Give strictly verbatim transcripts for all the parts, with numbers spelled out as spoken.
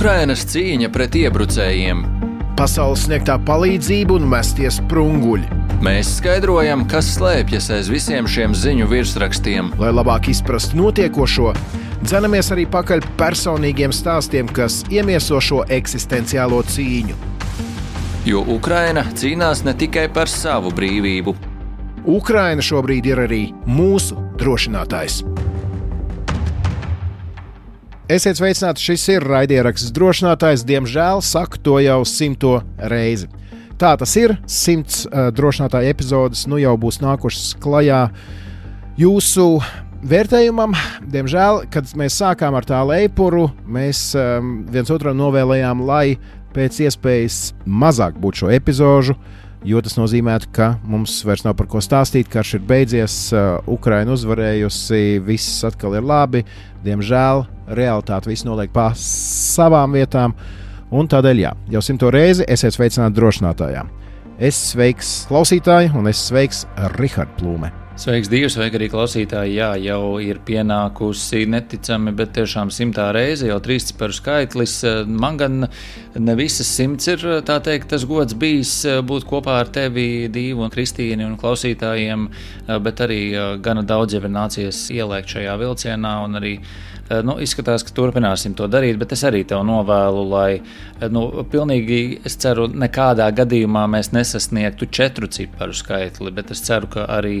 Ukrainas cīņa pret iebrucējiem. Pasaules sniegtā palīdzība un mestie sprunguļi. Mēs skaidrojam, kas slēpjas aiz visiem šiem ziņu virsrakstiem. Lai labāk izprastu notiekošo, dzenamies arī pakaļ personīgiem stāstiem, kas iemieso šo eksistenciālo cīņu. Jo Ukraina cīnās ne tikai par savu brīvību. Ukraina šobrīd ir arī mūsu drošinātājs. Esiet sveicināti, šis ir raidieraksts Drošinātājs. Diemžēl saku to jau simto reizi. Tā tas ir, simts uh, drošinātāja epizodes nu jau būs nākušas klajā jūsu vērtējumam. Diemžēl, kad mēs sākām ar tā leipuru, mēs um, viens otram novēlējām, lai pēc iespējas mazāk būtu šo epizožu, jo tas nozīmētu, ka mums vairs nav par ko stāstīt, karš ir beidzies, uh, Ukraina uzvarējusi, viss atkal ir labi. Diemžēl realitāte viss noliek pa savām vietām, un tādēļ jā, jau simto reizi esiet sveicināti drošinātājā. Es sveiks klausītāji, un es sveiks Rihards Plūme. Sveiks, Dievs, sveiki arī klausītāji. Jā, jau ir pienākusi neticami, bet tiešām simtā reize, jau trīsciparu skaitlis. Man gan ne visas simts ir, tā teikt, tas gods bijis būt kopā ar tevi, Dīvu un Kristīni un klausītājiem, bet arī gana daudz jau ir nācies ielēkt šajā vilcienā un arī Nu, izskatās, ka turpināsim to darīt, bet es arī tev novēlu, lai, nu, pilnīgi, es ceru, nekādā gadījumā mēs nesasniegtu četru ciparu skaitli, bet es ceru, ka arī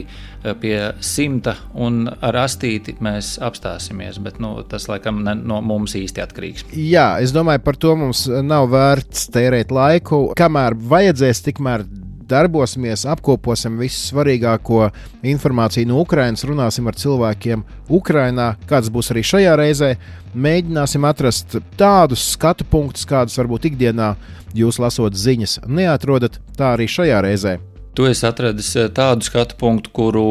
pie simta un ar astīti mēs apstāsimies, bet, nu, tas, laikam, ne, no mums īsti atkarīgs. Jā, es domāju, par to mums nav vērts tērēt laiku. Kamēr vajadzēs, tikmēr darbosimies, apkoposim visu svarīgāko informāciju no Ukrainas, runāsim ar cilvēkiem Ukrainā, kāds būs arī šajā reizē. Mēģināsim atrast tādus skatu punktus, kādus varbūt ikdienā jūs lasot ziņas neatrodat, tā arī šajā reizē. Tu esi atradis tādu skatu punktu, kuru,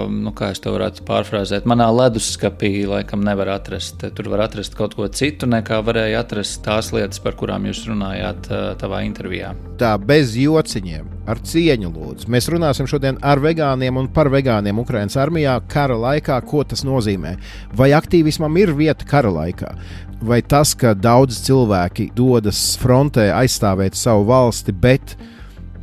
nu, kā es to varētu pārfrāzēt, manā leduskapī laikam nevar atrast. Tur var atrast kaut ko citu, nekā varēja atrast tās lietas, par kurām jūs runājāt tavā intervijā. Tā, bez jociņiem, ar cieņu lūdzu. Mēs runāsim šodien ar vegāniem un par vegāniem Ukrainas armijā kara laikā, ko tas nozīmē. Vai aktīvismam ir vieta kara laikā? Vai tas, ka daudz cilvēki dodas frontē aizstāvēt savu valsti, bet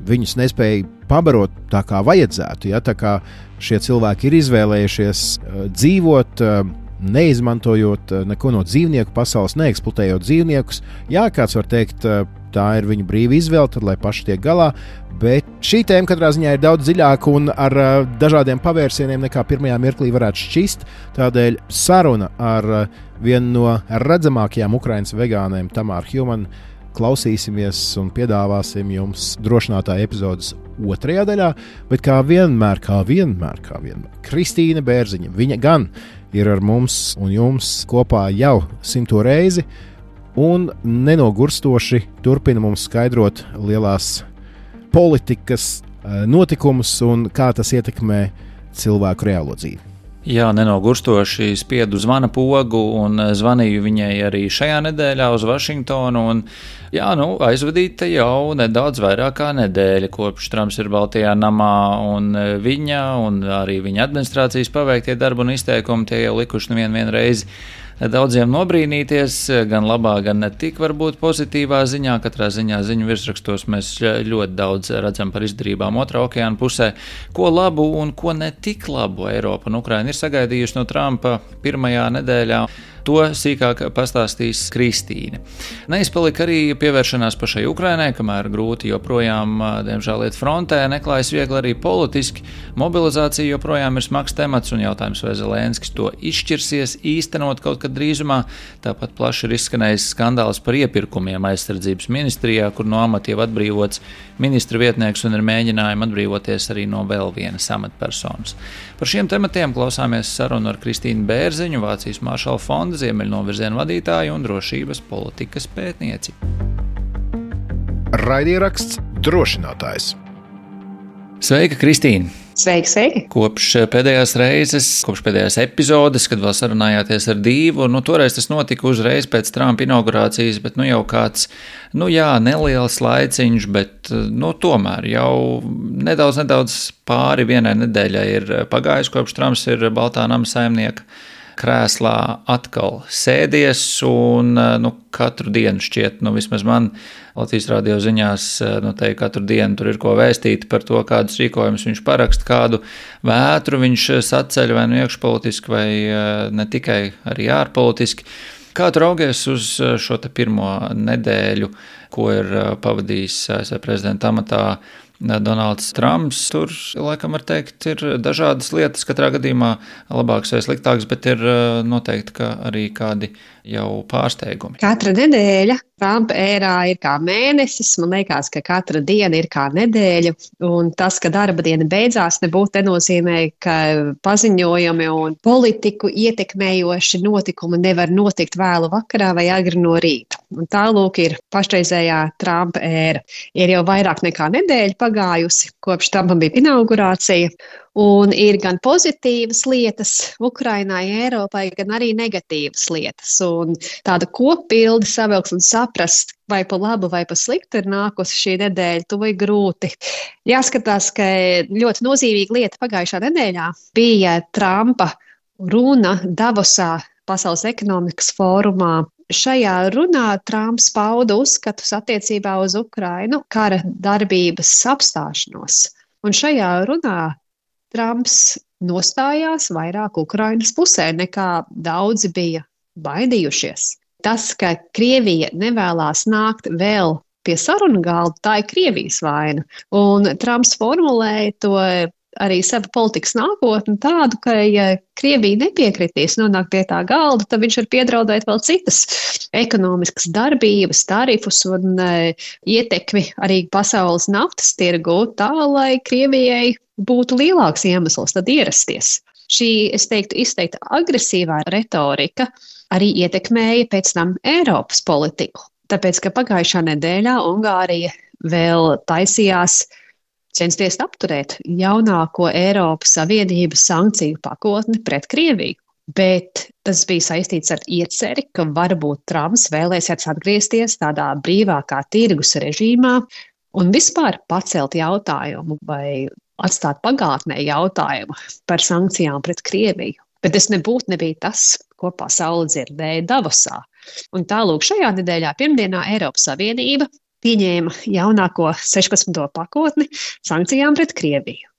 viņus nespēja pabarot tā kā vajadzētu, ja? Tā kā šie cilvēki ir izvēlējušies uh, dzīvot, uh, neizmantojot uh, neko no dzīvnieku pasaules, neeksploatējot dzīvniekus. Jā, kāds var teikt, uh, tā ir viņu brīva izvēle, tad lai paši tiek galā, bet šī tēma katrā ziņā ir daudz dziļāka un ar uh, dažādiem pavērsieniem nekā pirmajā mirklī varētu šķist. Tādēļ saruna ar uh, vienu no redzamākajām Ukrainas vegāniem, Tamāru Hjumanu, klausīsimies un piedāvāsim jums drošinātāja epizodes otrajā daļā, bet kā vienmēr, kā vienmēr, kā vienmēr, Kristīne Bērziņa, viņa gan ir ar mums un jums kopā jau simto reizi un nenogurstoši turpina mums skaidrot lielās politikas notikumus un kā tas ietekmē cilvēku reālo dzīvi. Jā, nenogurstoši spiedu zvana pogu un zvanīju viņai arī šajā nedēļā uz Vašingtonu. Un, jā, nu, aizvadīta jau nedaudz vairāk kā nedēļa, kopš Trumps ir Baltajā namā, un viņa un arī viņa administrācijas paveiktie darbi un izteikumi tie jau likuši nevienu vienu reizi daudziem nobrīnīties, gan labā, gan ne tik varbūt pozitīvā ziņā. Katrā ziņā ziņu virsrakstos mēs ļoti daudz redzam par izdarībām otrā okeāna pusē. Ko labu un ko ne tik labu Eiropa un Ukraina ir sagaidījuši no Trumpa pirmajā nedēļā. To sīkāk pastāstīs Kristīne. Neizpalika arī pievēršanās pašai Ukrainai, kamēr grūti joprojām, diemžēl, iet frontē, neklājas viegli arī politiski. Mobilizācija joprojām ir smags temats un jautājums, vai Zelenskis to izšķirsies īstenot kaut kad drīzumā. Tāpat plaši ir izskanējis skandāls par iepirkumiem aizsardzības ministrijā, kur no amata jau atbrīvots ministra vietnieks un ir mēģinājumi atbrīvoties arī no vēl vienas amatpersonas. Par šiem tematiem klausāmies sarunu ar Kristīnu Bērziņu, Vācijas Maršala fonda Ziemeļnovirziena vadītāju un drošības politikas pētnieci. Raidieraksts Drošinātājs. Sveika, Kristīne! Sveiki, sveiki! Kopš pēdējās reizes, kopš pēdējās epizodes, kad vēl sarunājāties ar Dīvu, nu toreiz tas notika uzreiz pēc Trumpa inaugurācijas, bet nu jau kāds, nu jā, neliels laiciņš, bet nu tomēr jau nedaudz, nedaudz pāri vienai nedēļai ir pagājis, kopš Trumps ir Baltā nama saimnieka krēslā atkal sēdies un nu, katru dienu šķiet, nu vismaz man Latvijas radio ziņās, nu te katru dienu tur ir ko vēstīt par to, kādus rīkojumus viņš paraksta, kādu vētru viņš saceļ vai nu iekšpolitiski vai ne tikai arī ārpolitiski. Kā tu raugies uz šo te pirmo nedēļu, ko ir pavadījis A S V prezidenta amatā Donalds Trumps? Tur, laikam, var teikt, ir dažādas lietas, katrā gadījumā labākas vai sliktākas, bet ir noteikti ka arī kādi jau pārsteigumi. Katra nedēļa Trumpa ērā ir kā mēnesis, man liekas, ka katra diena ir kā nedēļa, un tas, ka darba diena beidzās, nebūtu nenozīmē, ka paziņojumi un politiku ietekmējoši notikumi nevar notikt vēlu vakarā vai agri no rīta. Un tālūk ir pašreizējā Trumpa ēra. Ir jau vairāk nekā nedēļa pagājusi, kopš Trumpam bija inaugurācija, un ir gan pozitīvas lietas Ukrainai, Eiropai, gan arī negatīvas lietas. Un tāda kopbilde savilkt un saprast, vai pa labu vai pa sliktu ir nākusi šī nedēļa, to ir grūti. Jāskatās, ka ļoti nozīmīga lieta pagājušā nedēļā bija Trumpa runa Davosā Pasaules ekonomikas fórumā. Šajā runā Trumps pauda uzskatus attiecībā uz Ukrainu kara darbības apstāšanos. Un šajā runā Trumps nostājās vairāk Ukrainas pusē, nekā daudzi bija baidījušies. Tas, ka Krievija nevēlās nākt vēl pie sarunu galda, tā ir Krievijas vaina. Un Trumps formulēja to arī savu politikas nākotni tādu, ka ja Krievija nepiekritīs nonākt pie tā galda, tad viņš var piedraudēt vēl citas ekonomiskas darbības, tarifus un e, ietekmi arī pasaules naftas tirgu, tā lai Krievijai būtu lielāks iemesls tad ierasties. Šī, es teiktu, izteikta agresīvā retorika arī ietekmēja pēc tam Eiropas politiku, tāpēc, ka pagājušā nedēļā Ungārija vēl taisījās censties apturēt jaunāko Eiropas Savienības sankciju pakotni pret Krieviju. Bet tas bija saistīts ar ieceri, ka varbūt Trumps vēlēsies atgriezties tādā brīvākā tirgus režīmā un vispār pacelt jautājumu vai atstāt pagātnē jautājumu par sankcijām pret Krieviju. Bet tas nebūtu nebija tas, ko pasaule dzirdēja Davosā. Un tālūk šajā nedēļā pirmdienā Eiropas Savienība pieņēma jaunāko sešpadsmito pakotni sankcijām pret Krieviju.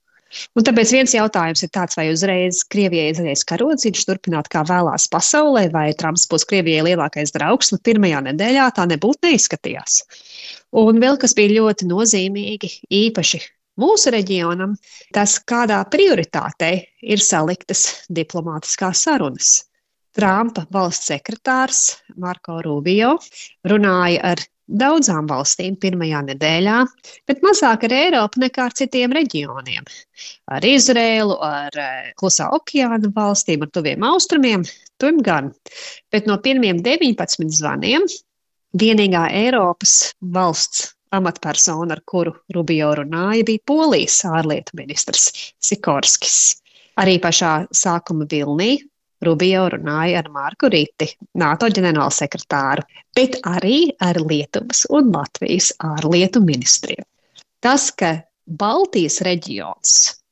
Un tāpēc viens jautājums ir tāds, vai uzreiz Krievijai izreiz karodziņš turpināt kā vēlās pasaulē, vai Trumps būs Krievijai lielākais draugs, nu pirmajā nedēļā tā nebūtu neizskatījās. Un vēl kas bija ļoti nozīmīgi, īpaši mūsu reģionam, tas kādā prioritātei ir saliktas diplomātiskās sarunas. Trumpa valsts sekretārs Marko Rubio runāja ar daudzām valstīm pirmajā nedēļā, bet mazāk ar Eiropu nekā ar citiem reģioniem. Ar Izrēlu, ar Klusā okeāna valstīm, ar tuviem austrumiem, tur gan. Bet no pirmiem deviņpadsmit zvaniem vienīgā Eiropas valsts amatpersona, ar kuru Rubio runāja, bija Polijas ārlietu ministrs Sikorskis. Arī pašā sākuma Vilnī Rubio runāja ar Marku Riti, NATO ģenerālsekretāru, bet arī ar Lietuvas un Latvijas ārlietu ministriem. Tas, ka Baltijas reģions,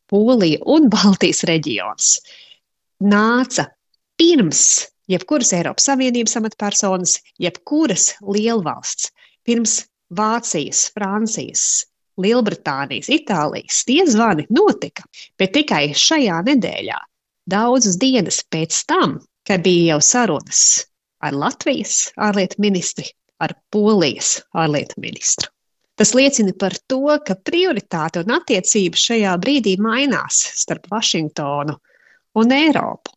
Polija un Baltijas reģions nāca pirms jebkuras Eiropas Savienības amatpersonas, jebkuras lielvalsts, pirms Vācijas, Francijas, Lielbritānijas, Itālijas, tie zvani notika, bet tikai šajā nedēļā. Daudzas dienas pēc tam, kad bija jau sarunas ar Latvijas ārlietu ministri, ar Polijas ārlietu ministru. Tas liecina par to, ka prioritāte un attiecības šajā brīdī mainās starp Vašingtonu un Eiropu.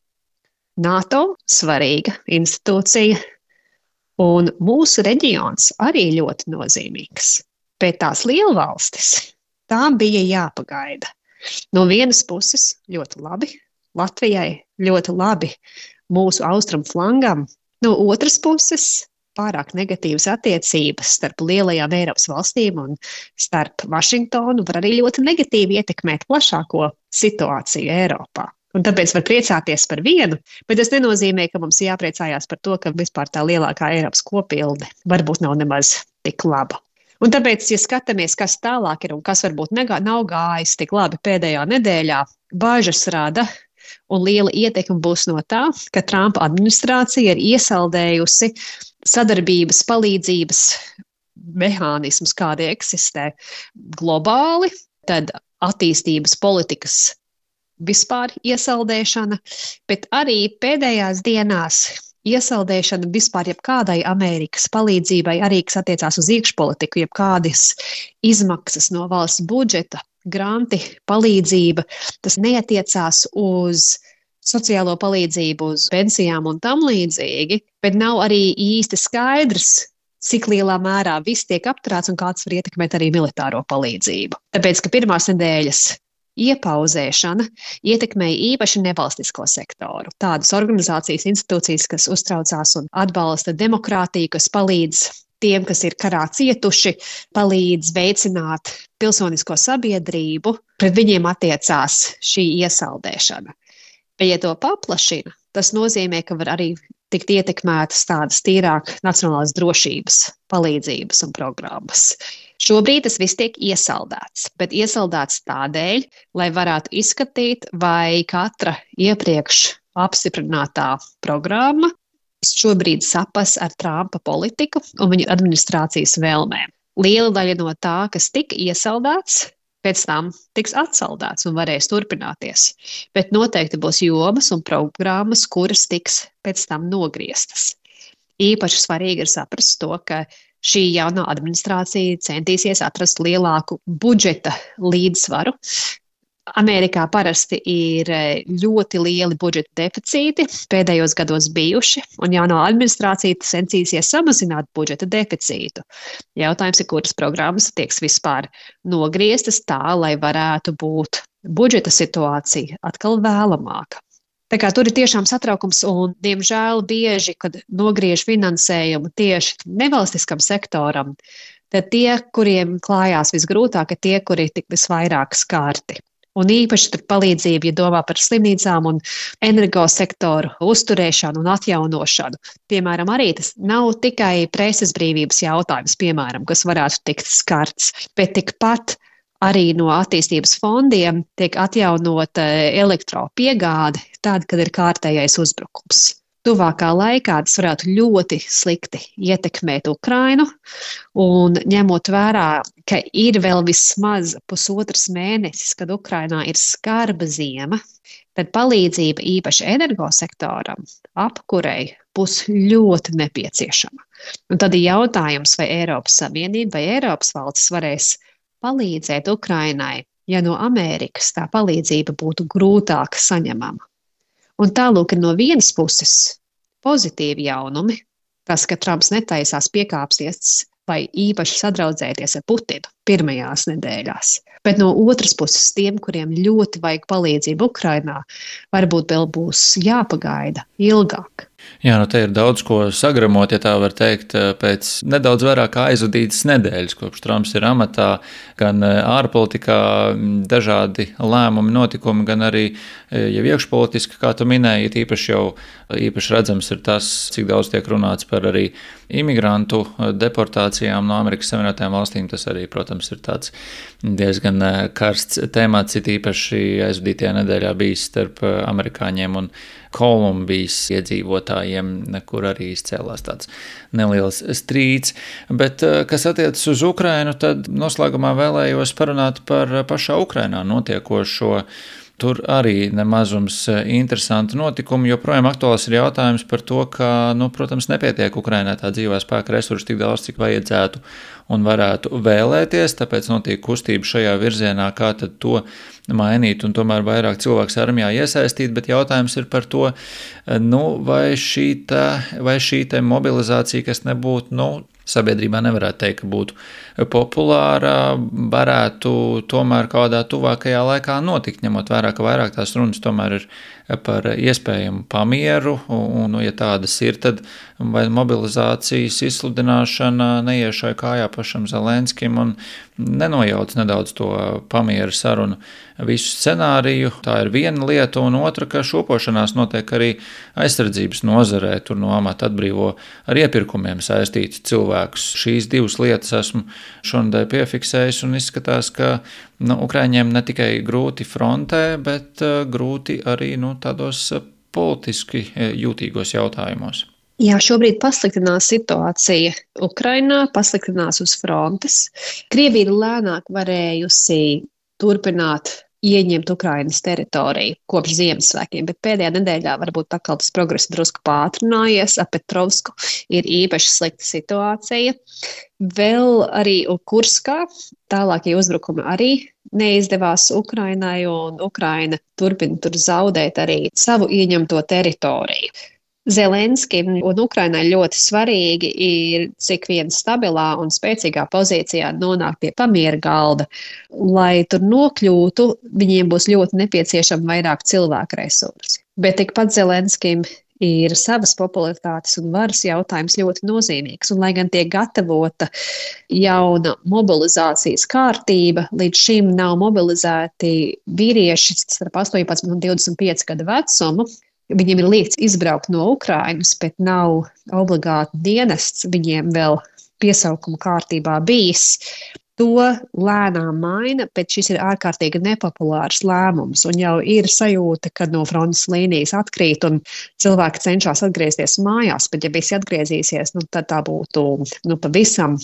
NATO svarīga institūcija un mūsu reģions arī ļoti nozīmīgs, bet tās lielvalstis, tām bija jāpagaida. No vienas puses ļoti labi, Latvijai ļoti labi mūsu austrumu flangam, no otras puses pārāk negatīvas attiecības starp lielajām Eiropas valstīm un starp Vašingtonu var arī ļoti negatīvi ietekmēt plašāko situāciju Eiropā. Un tāpēc var priecāties par vienu, bet tas nenozīmē, ka mums jāpriecājās par to, ka vispār tā lielākā Eiropas kopilde varbūt nav nemaz tik laba. Un tāpēc, ja skatāmies, kas tālāk ir un kas varbūt negā, nav gājis tik labi pēdējā nedēļā, bāžas rada Un liela ietekme būs no tā, ka Trumpa administrācija ir iesaldējusi sadarbības, palīdzības mehānismus, kādi eksistē globāli, tad attīstības politikas vispār iesaldēšana, bet arī pēdējās dienās iesaldēšana vispār jebkādai Amerikas palīdzībai, arī kas attiecās uz iekšpolitiku, jebkādas izmaksas no valsts budžeta, granti, palīdzība, tas neatiecās uz sociālo palīdzību, uz pensijām un tam līdzīgi, bet nav arī īsti skaidrs, cik lielā mērā viss tiek apturēts un kāds var ietekmēt arī militāro palīdzību. Tāpēc, ka pirmās nedēļas iepauzēšana ietekmēja īpaši nevalstisko sektoru. Tādas organizācijas, institūcijas, kas uztraucās un atbalsta demokrātiju, kas palīdz tiem, kas ir karā cietuši, palīdz veicināt pilsonisko sabiedrību, pret viņiem attiecās šī iesaldēšana. Bet, ja to paplašina, tas nozīmē, ka var arī tikt ietekmētas tādas tīrāk nacionālās drošības palīdzības un programmas. Šobrīd tas viss tiek iesaldēts, bet iesaldēts tādēļ, lai varētu izskatīt, vai katra iepriekš apstiprinātā programma šobrīd sapas ar Trumpa politiku un viņa administrācijas vēlmēm. Liela daļa no tā, kas tika iesaldēts, pēc tam tiks atsaldēts un varēs turpināties, bet noteikti būs jomas un programmas, kuras tiks pēc tam nogrieztas. Īpaši svarīgi ir saprast to, ka šī jaunā administrācija centīsies atrast lielāku budžeta līdzsvaru. Amerikā parasti ir ļoti lieli budžeta deficīti, pēdējos gados bijuši, un jaunā administrācija centīsies samazināt budžeta deficītu. Jautājums ir, kuras programmas tieks vispār nogrieztas tā, lai varētu būt budžeta situācija atkal vēlamāka. Tā kā tur ir tiešām satraukums un, diemžēl, bieži, kad nogriež finansējumu tieši nevalstiskam sektoram, tad tie, kuriem klājās visgrūtāk, ir tie, kuri tik visvairāk skārti. Un īpaši tur palīdzība, ja domā par slimnīcām un energosektoru uzturēšanu un atjaunošanu. Piemēram, arī tas nav tikai preses brīvības jautājums, piemēram, kas varētu tikt skarts, bet tikpat arī no attīstības fondiem tiek atjaunota elektropiegāde, tāda, kad ir kārtējais uzbrukums. Tuvākā laikā tas varētu ļoti slikti ietekmēt Ukrainu, un ņemot vērā, ka ir vēl vismaz pusotras mēnesis, kad Ukrainā ir skarba ziema, tad palīdzība īpaši energosektoram, apkurei, būs ļoti nepieciešama. Un tad ir jautājums, vai Eiropas Savienība vai Eiropas valstis varēs palīdzēt Ukrainai, ja no Amerikas tā palīdzība būtu grūtāk saņemama. Un tālūk ir no vienas puses pozitīvi jaunumi, tas, ka Trumps netaisās piekāpsties vai īpaši sadraudzēties ar Putinu pirmajās nedēļās. Bet no otras puses tiem, kuriem ļoti vajag palīdzību Ukrainā, varbūt vēl būs jāpagaida ilgāk. Jā, nu te ir daudz ko sagramot, ja tā var teikt, pēc nedaudz vairāk aizvadītas nedēļas, kopš Trumps ir amatā, gan ārpolitikā dažādi lēmumi, notikumi, gan arī jau iekšpolitiski, kā tu minēji, īpaši jau īpaši redzams ir tas, cik daudz tiek runāts par arī imigrantu deportācijām no Amerikas Savienotajām valstīm. Tas arī, protams, ir tāds diezgan karsts temats, it īpaši aizvadītajā nedēļā bijis starp amerikāņiem un Kolumbijas iedzīvotājiem, kur arī izcēlās tāds neliels strīds. Bet, kas attiecas uz Ukrainu, tad noslēgumā vēlējos parunāt par pašā Ukrainā notiekošo. Tur arī nemazums interesanti notikumi, joprojām aktuāls ir jautājums par to, ka, nu, protams, nepietiek Ukrainai tā dzīvā spēka resursu tik daudz, cik vajadzētu un varētu vēlēties, tāpēc notiek kustība šajā virzienā, kā tad to mainīt un tomēr vairāk cilvēks armijā iesaistīt, bet jautājums ir par to, nu, vai šī te, vai šī te mobilizācija, kas nebūtu, nu, sabiedrībā nevarētu teikt, ka būtu populāra, varētu tomēr kādā tuvākajā laikā notikt, ņemot vērā, ka vairāk tās runas tomēr ir par iespējamu pamieru, un, ja tādas ir, tad vai mobilizācijas izsludināšana neiešai kājā pašam Zelenskim un nenojauc nedaudz to pamieru sarunu visu scenāriju. Tā ir viena lieta, un otra, ka šopošanās notiek arī aizsardzības nozarē, tur no amata atbrīvo ar iepirkumiem saistīti cilvēki. cilvēkus. Šīs divas lietas esmu šonadēļ piefiksējis un izskatās, ka nu, Ukraiņiem ne tikai grūti frontē, bet uh, grūti arī nu, tādos uh, politiski jūtīgos jautājumos. Jā, šobrīd pasliktinās situācija Ukrainā, pasliktinās uz frontes. Krievija ir lēnāk varējusi turpināt ieņemt Ukrainas teritoriju kopš Ziemassvētkiem, bet pēdējā nedēļā varbūt atkal tas progress drusku pātrinājies. Ap Petrovsku ir īpaši slikta situācija. Vēl arī Kurskā tālākie uzbrukumi arī neizdevās Ukrainai, un Ukraina turpina tur zaudēt arī savu ieņemto teritoriju. Zelenskim un Ukrainai ļoti svarīgi ir, cik vien stabilā un spēcīgā pozīcijā nonāk pie pamiera galda. Lai tur nokļūtu, viņiem būs ļoti nepieciešama vairāk cilvēku resursi. Bet tikpat Zelenskim ir savas popularitātes un varas jautājums ļoti nozīmīgs. Un, lai gan tiek gatavota jauna mobilizācijas kārtība, līdz šim nav mobilizēti vīrieši starp astoņpadsmit un divdesmit pieci gadu vecumu. Viņiem ir liekts izbraukt no Ukrainas, bet nav obligāti dienests viņiem vēl piesaukuma kārtībā bijis. To lēnām maina, bet šis ir ārkārtīgi nepopulārs lēmums. Un jau ir sajūta, ka no frontes līnijas atkrīt un cilvēki cenšas atgriezties mājās, bet ja visi atgriezīsies, nu, tad tā būtu nu, pavisam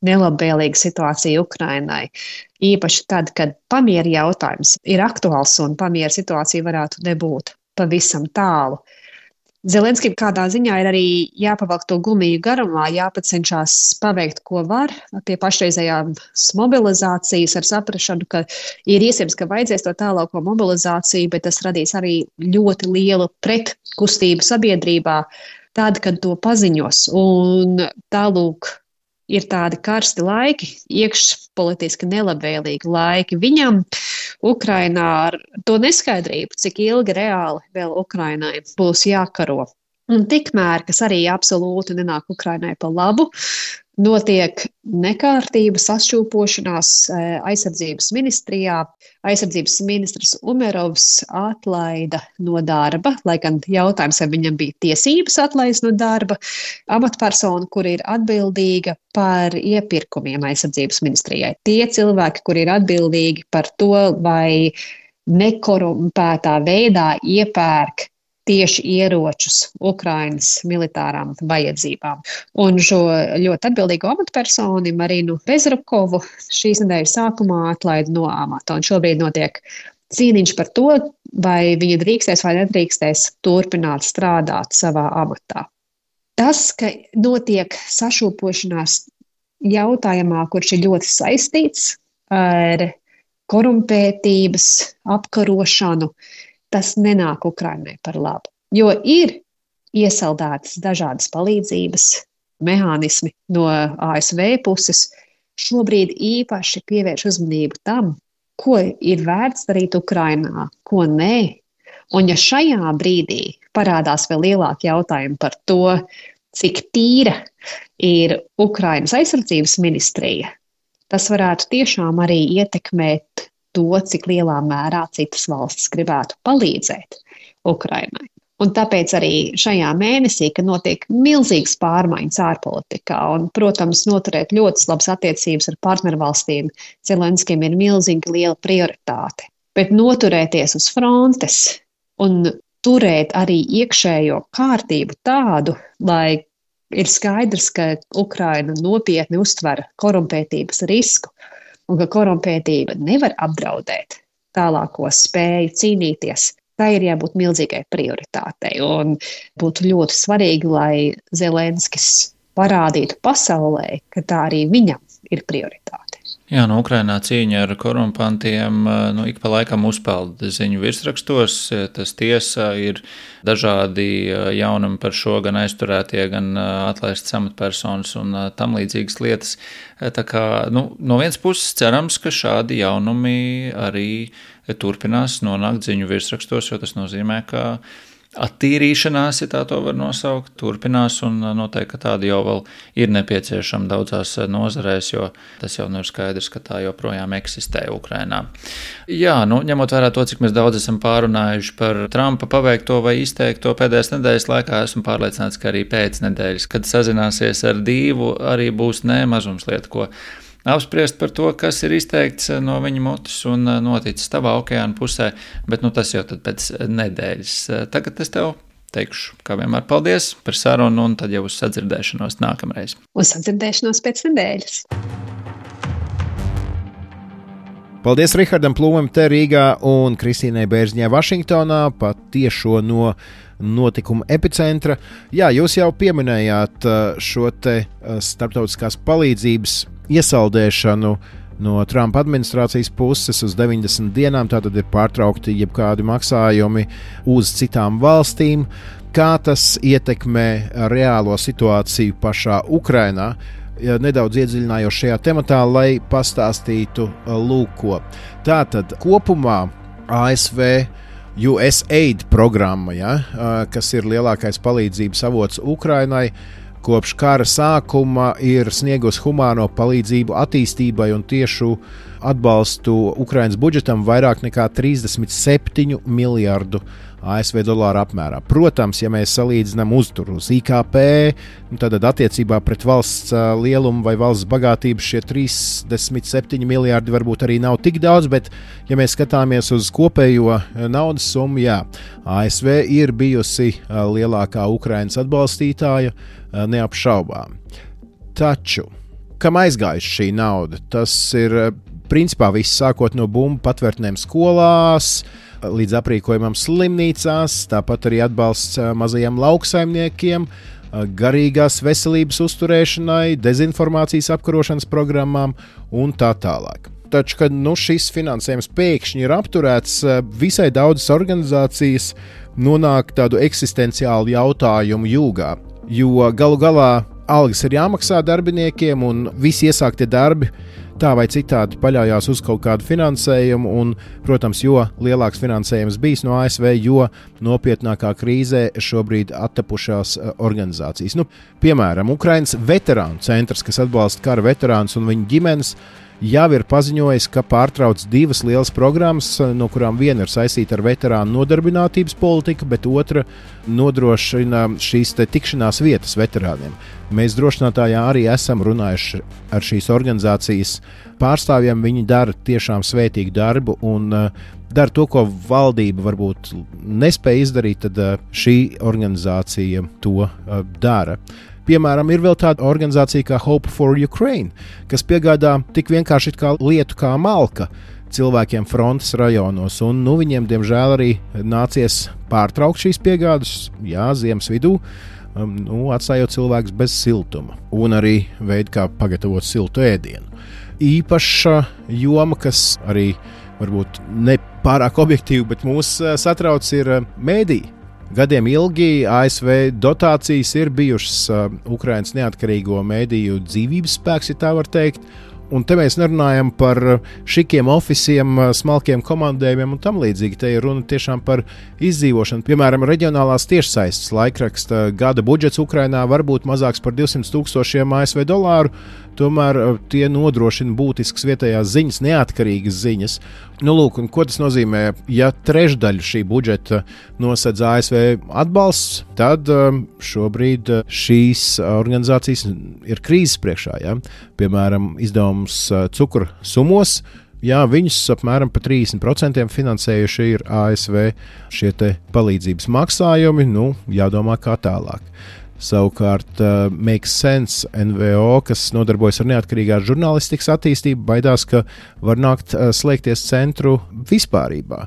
nelabvēlīga situācija Ukrainai. Īpaši tad, kad pamiera jautājums ir aktuāls un pamiera situācija varētu nebūt pavisam tālu. Zelenskim kādā ziņā ir arī jāpavalk to gumiju garumā, jāpacenšās paveikt, ko var pie pašreizējās mobilizācijas ar saprašanu, ka ir iespējams, ka vajadzēs to tālāko mobilizāciju, bet tas radīs arī ļoti lielu pretkustību sabiedrībā, tad, kad to paziņos. Un tālūk ir tādi karsti laiki, iekšpolitiski nelabvēlīgi laiki viņam, Ukrainā ar to neskaidrību, cik ilgi reāli vēl Ukrainai būs jākaro. Un tikmēr, kas arī absolūti nenāk Ukrainai pa labu, notiek nekārtība, sašķūpošanās aizsardzības ministrijā. Aizsardzības ministrs Umerovs atlaida no darba, lai gan jautājums, vai viņam bija tiesības atlaist no darba, amatpersonu, kur ir atbildīga par iepirkumiem aizsardzības ministrijai. Tie cilvēki, kur ir atbildīgi par to, vai nekorumpētā veidā iepērk tieši ieročus Ukrainas militārām vajadzībām. Un šo ļoti atbildīgo amatpersoni Marinu Bezrukovu šīs nedēļas sākumā atlaida no amata. Un šobrīd notiek cīniņš par to, vai viņa drīkstēs vai nedrīkstēs turpināt strādāt savā amatā. Tas, ka notiek sašūpošanās jautājumā, kurš ir ļoti saistīts ar korumpētības apkarošanu, tas nenāk Ukrainai par labu, jo ir iesaldētas dažādas palīdzības mehānismi no A S V puses. Šobrīd īpaši pievērš uzmanību tam, ko ir vērts darīt Ukrainā, ko nē. Un ja šajā brīdī parādās vēl lielāki jautājumi par to, cik tīra ir Ukrainas aizsardzības ministrija, tas varētu tiešām arī ietekmēt to, cik lielā mērā citas valstis gribētu palīdzēt Ukrainai. Un tāpēc arī šajā mēnesī, kad notiek milzīgas pārmaiņas ārpolitikā un, protams, noturēt ļoti labas attiecības ar partnervalstīm, Zelenskim ir milzīgi liela prioritāte. Bet noturēties uz frontes un turēt arī iekšējo kārtību tādu, lai ir skaidrs, ka Ukraina nopietni uztver korumpētības risku, un ka korumpētība nevar apdraudēt tālāko spēju cīnīties, tā ir jābūt milzīgai prioritātei. Un būtu ļoti svarīgi, lai Zelenskis parādītu pasaulē, ka tā arī viņam ir prioritāte. Jā, no Ukrainā cīņa ar korumpantiem nu, ik pa laikam uzpeld ziņu virsrakstos. Tas tiesa ir dažādi jaunumi par šo, gan aizturētie, gan atlaistas amatpersonas un tam līdzīgas lietas. Tā kā, nu, no vienas puses cerams, ka šādi jaunumi arī turpinās nonākt ziņu virsrakstos, jo tas nozīmē, ka attīrīšanās, ja tā to var nosaukt, turpinās, un noteikti, ka tāda jau vēl ir nepieciešama daudzās nozarēs, jo tas jau nu ir skaidrs, ka tā joprojām eksistē Ukrainā. Jā, nu, ņemot vērā to, cik mēs daudz esam pārunājuši par Trumpa paveikto vai izteikto pēdējās nedēļas laikā, esmu pārliecināts, ka arī pēc nedēļas, kad sazināsies ar Dīvu, arī būs ne mazumslieta, ko apspriest par to, kas ir izteikts no viņa mutes un noticis tavā okeāna pusē, bet nu, tas jau tad pēc nedēļas. Tagad es tev teikšu, kā vienmēr, paldies par sarunu un tad jau uz sadzirdēšanos nākamreiz. Uz sadzirdēšanos pēc nedēļas. Paldies Rihardam Plūmam te Rīgā un Kristīnai Bērziņai Vašingtonā pat tiešo no notikuma epicentra. Jā, jūs jau pieminējāt šo te starptautiskās palīdzības iesaldēšanu no Trumpa administrācijas puses uz deviņdesmit dienām, tātad ir pārtraukti jebkādi maksājumi uz citām valstīm. Kā tas ietekmē reālo situāciju pašā Ukrainā? Nedaudz iedziļinājos šajā tematā, lai pastāstītu lūko. Tātad kopumā A S V U S A I D programma, ja, kas ir lielākais palīdzības avots Ukrainai, kopš kara sākuma ir sniegusi humāno palīdzību attīstībai un tiešu atbalstu Ukrainas budžetam vairāk nekā trīsdesmit septiņu miljardu A S V dolāru apmērā. Protams, ja mēs salīdzinām uzturu uz I K P, tad attiecībā pret valsts lielumu vai valsts bagātību šie trīsdesmit septiņi miljardi varbūt arī nav tik daudz, bet ja mēs skatāmies uz kopējo naudas summu, jā, A S V ir bijusi lielākā Ukrainas atbalstītāja, neapšaubām. Taču, kam aizgājuši šī nauda? Tas ir principā viss sākot no bumbu patvērtnēm skolās, līdz aprīkojumam slimnīcās, tāpat arī atbalsts mazajiem lauksaimniekiem, garīgās veselības uzturēšanai, dezinformācijas apkarošanas programmām un tā tālāk. Taču, kad nu, šis finansējums pēkšņi ir apturēts, visai daudzas organizācijas nonāk tādu eksistenciālu jautājumu jūgā, jo galu galā algas ir jāmaksā darbiniekiem un visi iesāktie darbi tā vai citādi paļaujās uz kaut kādu finansējumu, un, protams, jo lielāks finansējums bijis no A S V, jo nopietnākā krīzē šobrīd attapušās organizācijas. Nu, piemēram, Ukrainas veterānu centrs, kas atbalsta kara veterānus un viņu ģimenes, jau ir paziņojis, ka pārtrauc divas lielas programmas, no kurām viena ir saistīta ar veterānu nodarbinātības politiku, bet otra nodrošina šīs te tikšanās vietas veterāniem. Mēs drošinātājā arī esam runājuši ar šīs organizācijas pārstāvjiem. Viņi dara tiešām svētīgu darbu un uh, dara to, ko valdība varbūt nespēja izdarīt, tad uh, šī organizācija to uh, dara. Piemēram, ir vēl tāda organizācija kā Hope for Ukraine, kas piegādā tik vienkārši kā lietu kā malka cilvēkiem frontes rajonos, un nu, viņiem, diemžēl, arī nācies pārtraukt šīs piegādes, jā, ziemas vidū, um, nu, atstājot cilvēkus bez siltuma, un arī veidu, kā pagatavot siltu ēdienu. Īpaša joma, kas arī varbūt ne pārāk objektīvi, bet mūs satrauc, ir mēdī. Gadiem ilgi A S V dotācijas ir bijušas uh, Ukrainas neatkarīgo mēdīju dzīvības spēks, ja tā var teikt. Un te mēs nerunājam par šikiem ofisiem, smalkiem komandējumiem un tam līdzīgi. Te ir runa tiešām par izdzīvošanu. Piemēram, reģionālās tiešsaistes laikraksta gada budžets Ukrainā var būt mazāks par divsimt tūkstošiem A S V dolāru, tomēr tie nodrošina būtiskas vietējās ziņas, neatkarīgas ziņas. Nu, lūk, un ko tas nozīmē? Ja trešdaļu šī budžeta nosedz A S V atbalsts, tad šobrīd šīs organizācijas ir krīzes priekšā. Ja? Piemēram, izdevums cukura sumos, jā, viņus apmēram par trīsdesmit procentiem finansējuši ir A S V šie te palīdzības maksājumi, nu, jādomā kā tālāk. Savukārt uh, Makes Sense N V O, kas nodarbojas ar neatkarīgās žurnālistikas attīstību, baidās, ka var nākt uh, slēgties centru vispārībā.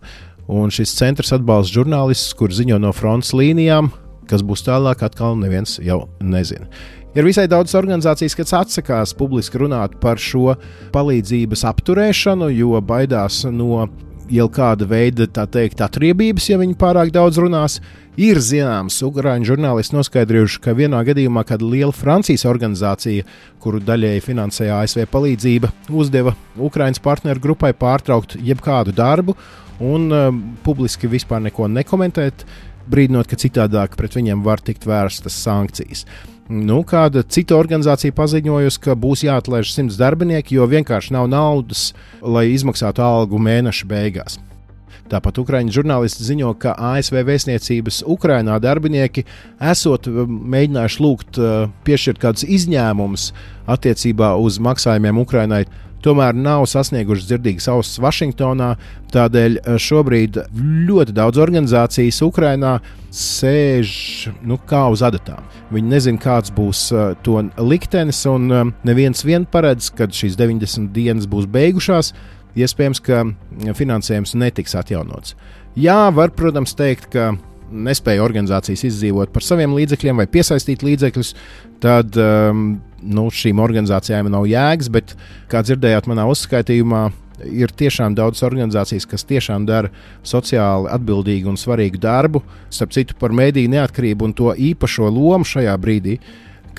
Un šis centrs atbalsta žurnālistus, kur ziņo no frontes līnijām, kas būs tālāk, atkal neviens jau nezina. Ir visai daudz organizācijas, kas atsakās publiski runāt par šo palīdzības apturēšanu, jo baidās no jau kāda veida, tā teikt, atriebības, ja viņi pārāk daudz runās. Ir zināms, ukrāņu žurnālisti noskaidrojuši, ka vienā gadījumā kāda liela Francijas organizācija, kuru daļēji finansēja A S V palīdzība, uzdeva Ukrainas partneru grupai pārtraukt jebkādu darbu un uh, publiski vispār neko nekomentēt. brīdinot, ka citādāk pret viņiem var tikt vērstas sankcijas. Nu, kāda cita organizācija paziņojusi, ka būs jāatlaiž simts darbinieki, jo vienkārši nav naudas, lai izmaksātu algu mēneša beigās. Tāpat ukraiņu žurnālisti ziņo, ka A S V vēstniecības Ukrainā darbinieki esot mēģinājuši lūgt piešķirt kādus izņēmumus attiecībā uz maksājumiem Ukrainai, tomēr nav sasnieguši dzirdīgas ausis Vašingtonā. Tādēļ šobrīd ļoti daudz organizācijas Ukrainā sēž nu, kā uz adatām. Viņi nezina, kāds būs to liktenis, un neviens vien paredz, kad šīs deviņdesmit dienas būs beigušās. Iespējams, ka finansējums netiks atjaunots. Jā, var, protams, teikt, ka nespēja organizācijas izdzīvot par saviem līdzekļiem vai piesaistīt līdzekļus, tad um, nu, šīm organizācijām nav jēgas, bet, kā dzirdējāt manā uzskaitījumā, ir tiešām daudz organizācijas, kas tiešām dara sociāli atbildīgu un svarīgu darbu, starp citu par mediju neatkarību un to īpašo lomu šajā brīdī,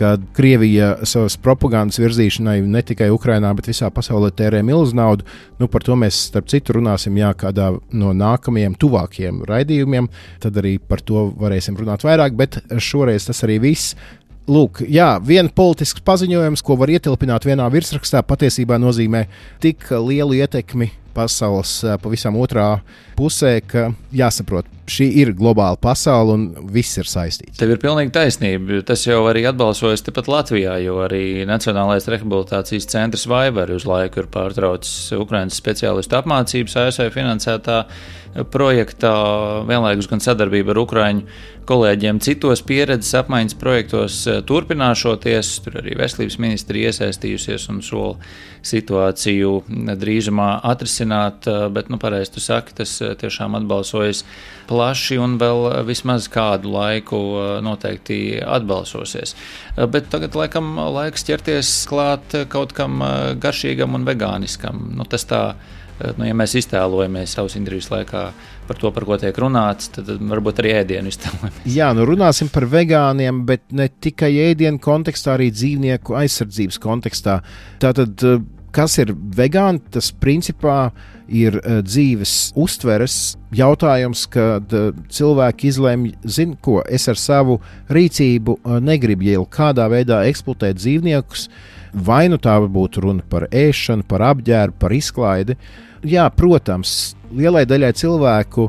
kad Krievija savas propagandas virzīšanai ne tikai Ukrainā, bet visā pasaulē tērē milzu naudu. Nu, par to mēs, starp citu, runāsim jā, kādā no nākamajiem tuvākiem raidījumiem. Tad arī par to varēsim runāt vairāk, bet šoreiz tas arī viss. Lūk, jā, viena politisks paziņojums, ko var ietilpināt vienā virsrakstā, patiesībā nozīmē tik lielu ietekmi pasaules pavisam otrā pusē, ka jāsaprot, šī ir globāla pasaule un viss ir saistīts. Tev ir pilnīgi taisnība. Tas jau arī atbalsojas tepat Latvijā, jo arī Nacionālais rehabilitācijas centrs Vaivar uz laiku ir pārtraucis Ukrainas speciālistu apmācības A S V finansētā projektā, vienlaikus gan sadarbība ar ukraiņu kolēģiem citos pieredzes apmaiņas projektos turpināšoties. Tur arī veselības ministri iesaistījusies un sola situāciju drīzumā atrisināt, bet, nu, pareizi tu saki, tas tiešām atbalsojas plaši un vēl vismaz kādu laiku noteikti atbalsosies. Bet tagad, laikam, laiks ķerties klāt kaut kam garšīgam un vegāniskam. Nu, tas tā, nu, ja mēs iztēlojamies savas intervijas laikā par to, par ko tiek runāts, tad varbūt arī ēdienu iztēlojamies. Jā, nu runāsim par vegāniem, bet ne tikai ēdienu kontekstā, arī dzīvnieku aizsardzības kontekstā. Tātad, kas ir vegāni? Tas principā ir dzīves uztveres jautājums, kad cilvēki izlemj, zin ko, es ar savu rīcību negribu jau kādā veidā eksploatēt dzīvniekus, vai nu tā būtu runa par ēšanu, par apģērbu, par izklaidi. Jā, protams, lielai daļai cilvēku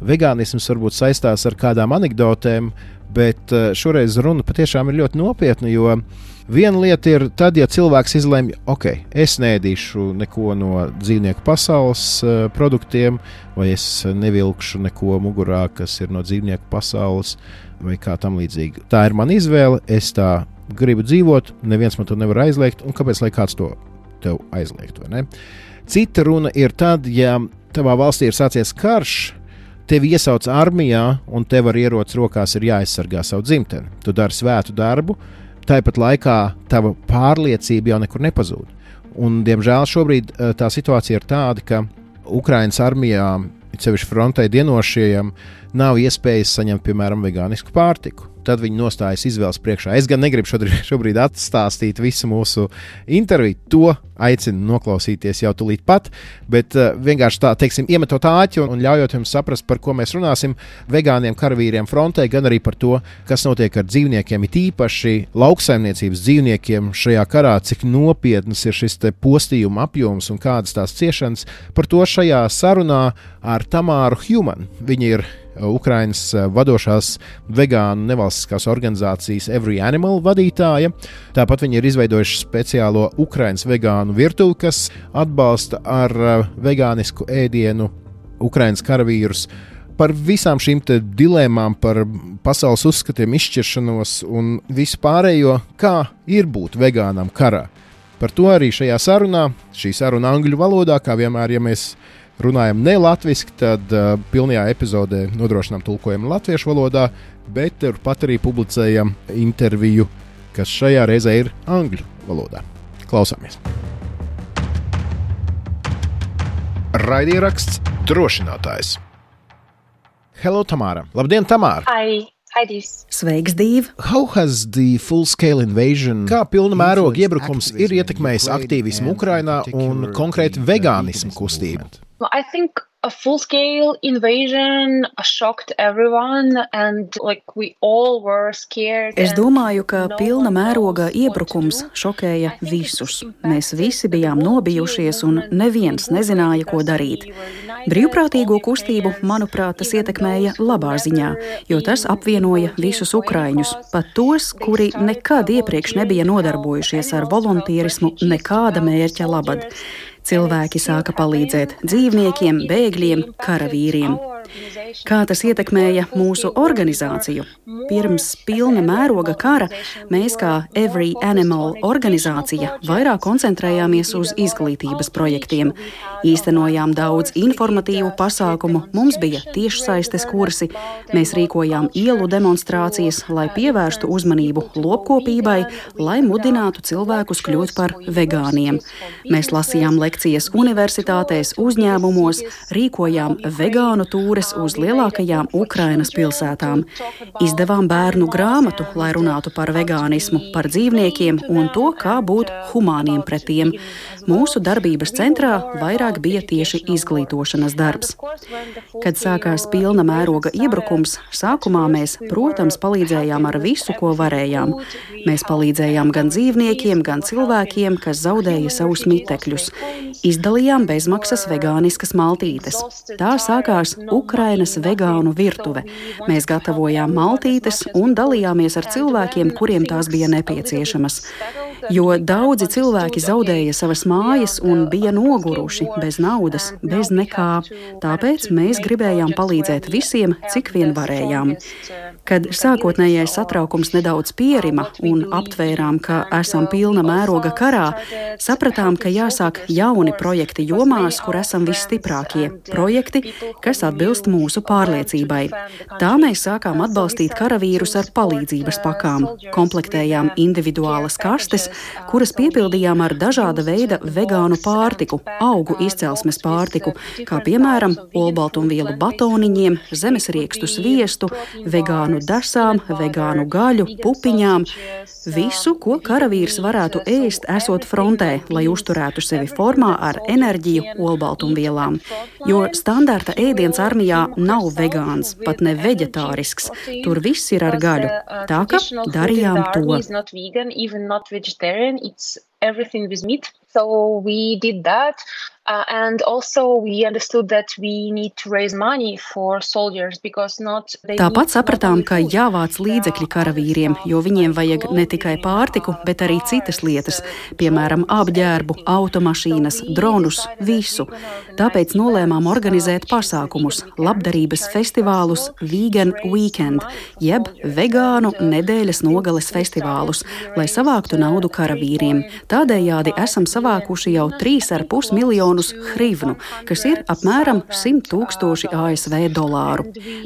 vegānisms varbūt saistās ar kādām anekdotēm, bet šoreiz runa patiešām ir ļoti nopietna, jo viena lieta ir tad, ja cilvēks izlemj, ok, es neēdīšu neko no dzīvnieku pasaules uh, produktiem, vai es nevilkšu neko mugurā, kas ir no dzīvnieku pasaules, vai kā tam līdzīgi. Tā ir mana izvēle, es tā gribu dzīvot, neviens man to nevar aizliegt, un kāpēc lai kāds to tev aizliegt, vai ne? Cita runa ir tad, ja tavā valstī ir sācies karš, tevi iesauc armijā, un tev ar ieroci rokās ir jāaizsargā savu dzimteni. Tu dari svētu darbu, tāpat laikā tava pārliecība jau nekur nepazūd. Un, diemžēl, šobrīd tā situācija ir tāda, ka Ukrainas armijā, sevišķi frontē dienošajiem, nav iespējas saņemt, piemēram, vegānisku pārtiku. Tad viņi nostājas izvēles priekšā. Es gan negribu šodien, šobrīd atstāstīt visu mūsu interviju. To aicinu noklausīties jau tūlīt pat, bet uh, vienkārši tā, teiksim, iemetot āķi un, un ļaujot jums saprast, par ko mēs runāsim, vegāniem karavīriem frontē, gan arī par to, kas notiek ar dzīvniekiem, it īpaši lauksaimniecības dzīvniekiem šajā karā, cik nopietnas ir šis te postījuma apjoms un kādas tās ciešanas. Par to šajā sarunā ar Tamāru Human. Viņa ir Ukrainas vadošās vegānu nevalstiskās organizācijas Every Animal vadītāja. Tāpat viņi ir izveidojuši speciālo Ukrainas vegānu virtuvi, kas atbalsta ar vegānisku ēdienu Ukrainas karavīrus. Par visām šīm te dilēmām, par pasaules uzskatiem, izšķiršanos un visu pārējo, kā ir būt vegānam karā. Par to arī šajā sarunā, šī saruna angļu valodā, kā vienmēr, ja mēs runājam ne latviski, tad uh, pilnajā epizodē nodrošinām tulkojumu latviešu valodā, bet turpat arī publicējam interviju, kas šajā reizē ir angļu valodā. Klausāmies! Raidieraksts Drošinātājs. Hello, Tamāra! Labdien, Tamāra! Hi! Hi, Dīvs! Sveiks, Dīv! How has the full-scale invasion, kā pilna mēroga iebrukums ir ietekmējis aktīvismu Ukrainā un konkrēti vegānismu kustību? Well, I think A full-scale invasion shocked everyone and like we all were scared. Es domāju, ka pilna mēroga iebrukums šokēja visus. Mēs visi bijām nobijušies un neviens nezināja, ko darīt. Brīvprātīgo kustību, manuprāt, tas ietekmēja labā ziņā, jo tas apvienoja visus ukraiņus, pat tos, kuri nekad iepriekš nebija nodarbojušies ar voluntīrismu nekāda mērķa labad. Cilvēki sāka palīdzēt dzīvniekiem, bēgļiem, karavīriem. Kā tas ietekmēja mūsu organizāciju? Pirms pilna mēroga kara mēs kā Every Animal organizācija vairāk koncentrējāmies uz izglītības projektiem. Īstenojām daudz informatīvu pasākumu, mums bija tiešsaistes kursi, mēs rīkojām ielu demonstrācijas, lai pievērstu uzmanību lopkopībai, lai mudinātu cilvēkus kļūt par vegāniem. Mēs lasījām lekcijas universitātēs, uzņēmumos, rīkojām vegānu tūres uz lielākajām Ukrainas pilsētām. Izdevām bērnu grāmatu, lai runātu par vegānismu, par dzīvniekiem un to, kā būt humāniem pret tiem. Mūsu darbības centrā vairāk bija tieši izglītošanas darbs. Kad sākās pilna mēroga iebrukums, sākumā mēs, protams, palīdzējām ar visu, ko varējām. Mēs palīdzējām gan dzīvniekiem, gan cilvēkiem, kas zaudēja savus mitekļus. Izdalījām bezmaksas vegāniskas maltītes. Tā sākās Ukrainas vegānu virtuve. Mēs gatavojām maltītes un dalījāmies ar cilvēkiem, kuriem tās bija nepieciešamas. Jo daudzi cilvēki zaudēja savas mājas un bija noguruši, bez naudas, bez nekā. Tāpēc mēs gribējām palīdzēt visiem, cik vien varējām. Kad sākotnējais satraukums nedaudz pierima un aptvērām, ka esam pilna mēroga karā, sapratām, ka jāsāk jauni projekti jomās, kur esam visstiprākie. Projekti, kas atbilst mūsu pārliecībai. Tā mēs sākām atbalstīt karavīrus ar palīdzības pakām. Komplektējām individuālas kastes, kuras piepildījām ar dažāda veida vegānu pārtiku, augu izcelsmes pārtiku, kā piemēram olbaltumvielu batoniņiem, zemesriekstu sviestu, vegānu desām, vegānu gaļu, pupiņām. Visu, ko karavīrs varētu ēst, esot frontē, lai uzturētu sevi formā ar enerģiju olbaltumvielām. Jo standarta ēdiens armijā nav vegāns, pat ne veģetārisks. Tur viss ir ar gaļu. Tā ka darījām to. It's everything with meat. So we did that. Uh, and also we understood that we need to raise money for soldiers because not Tāpat sapratām, ka jāvāc līdzekļi karavīriem, jo viņiem vajag ne tikai pārtiku, bet arī citas lietas, piemēram, apģērbu, automašīnas, dronus, visu. Tāpēc nolēmām organizēt pasākumus, labdarības festivālus Vegan Weekend, jeb vegānu nedēļas nogales festivālus, lai savāktu naudu karavīriem. Tādējādi esam savākuši jau trīs ar pus miljonus hrivnu, kas ir apmēram simt tūkstoši A S V dolāru.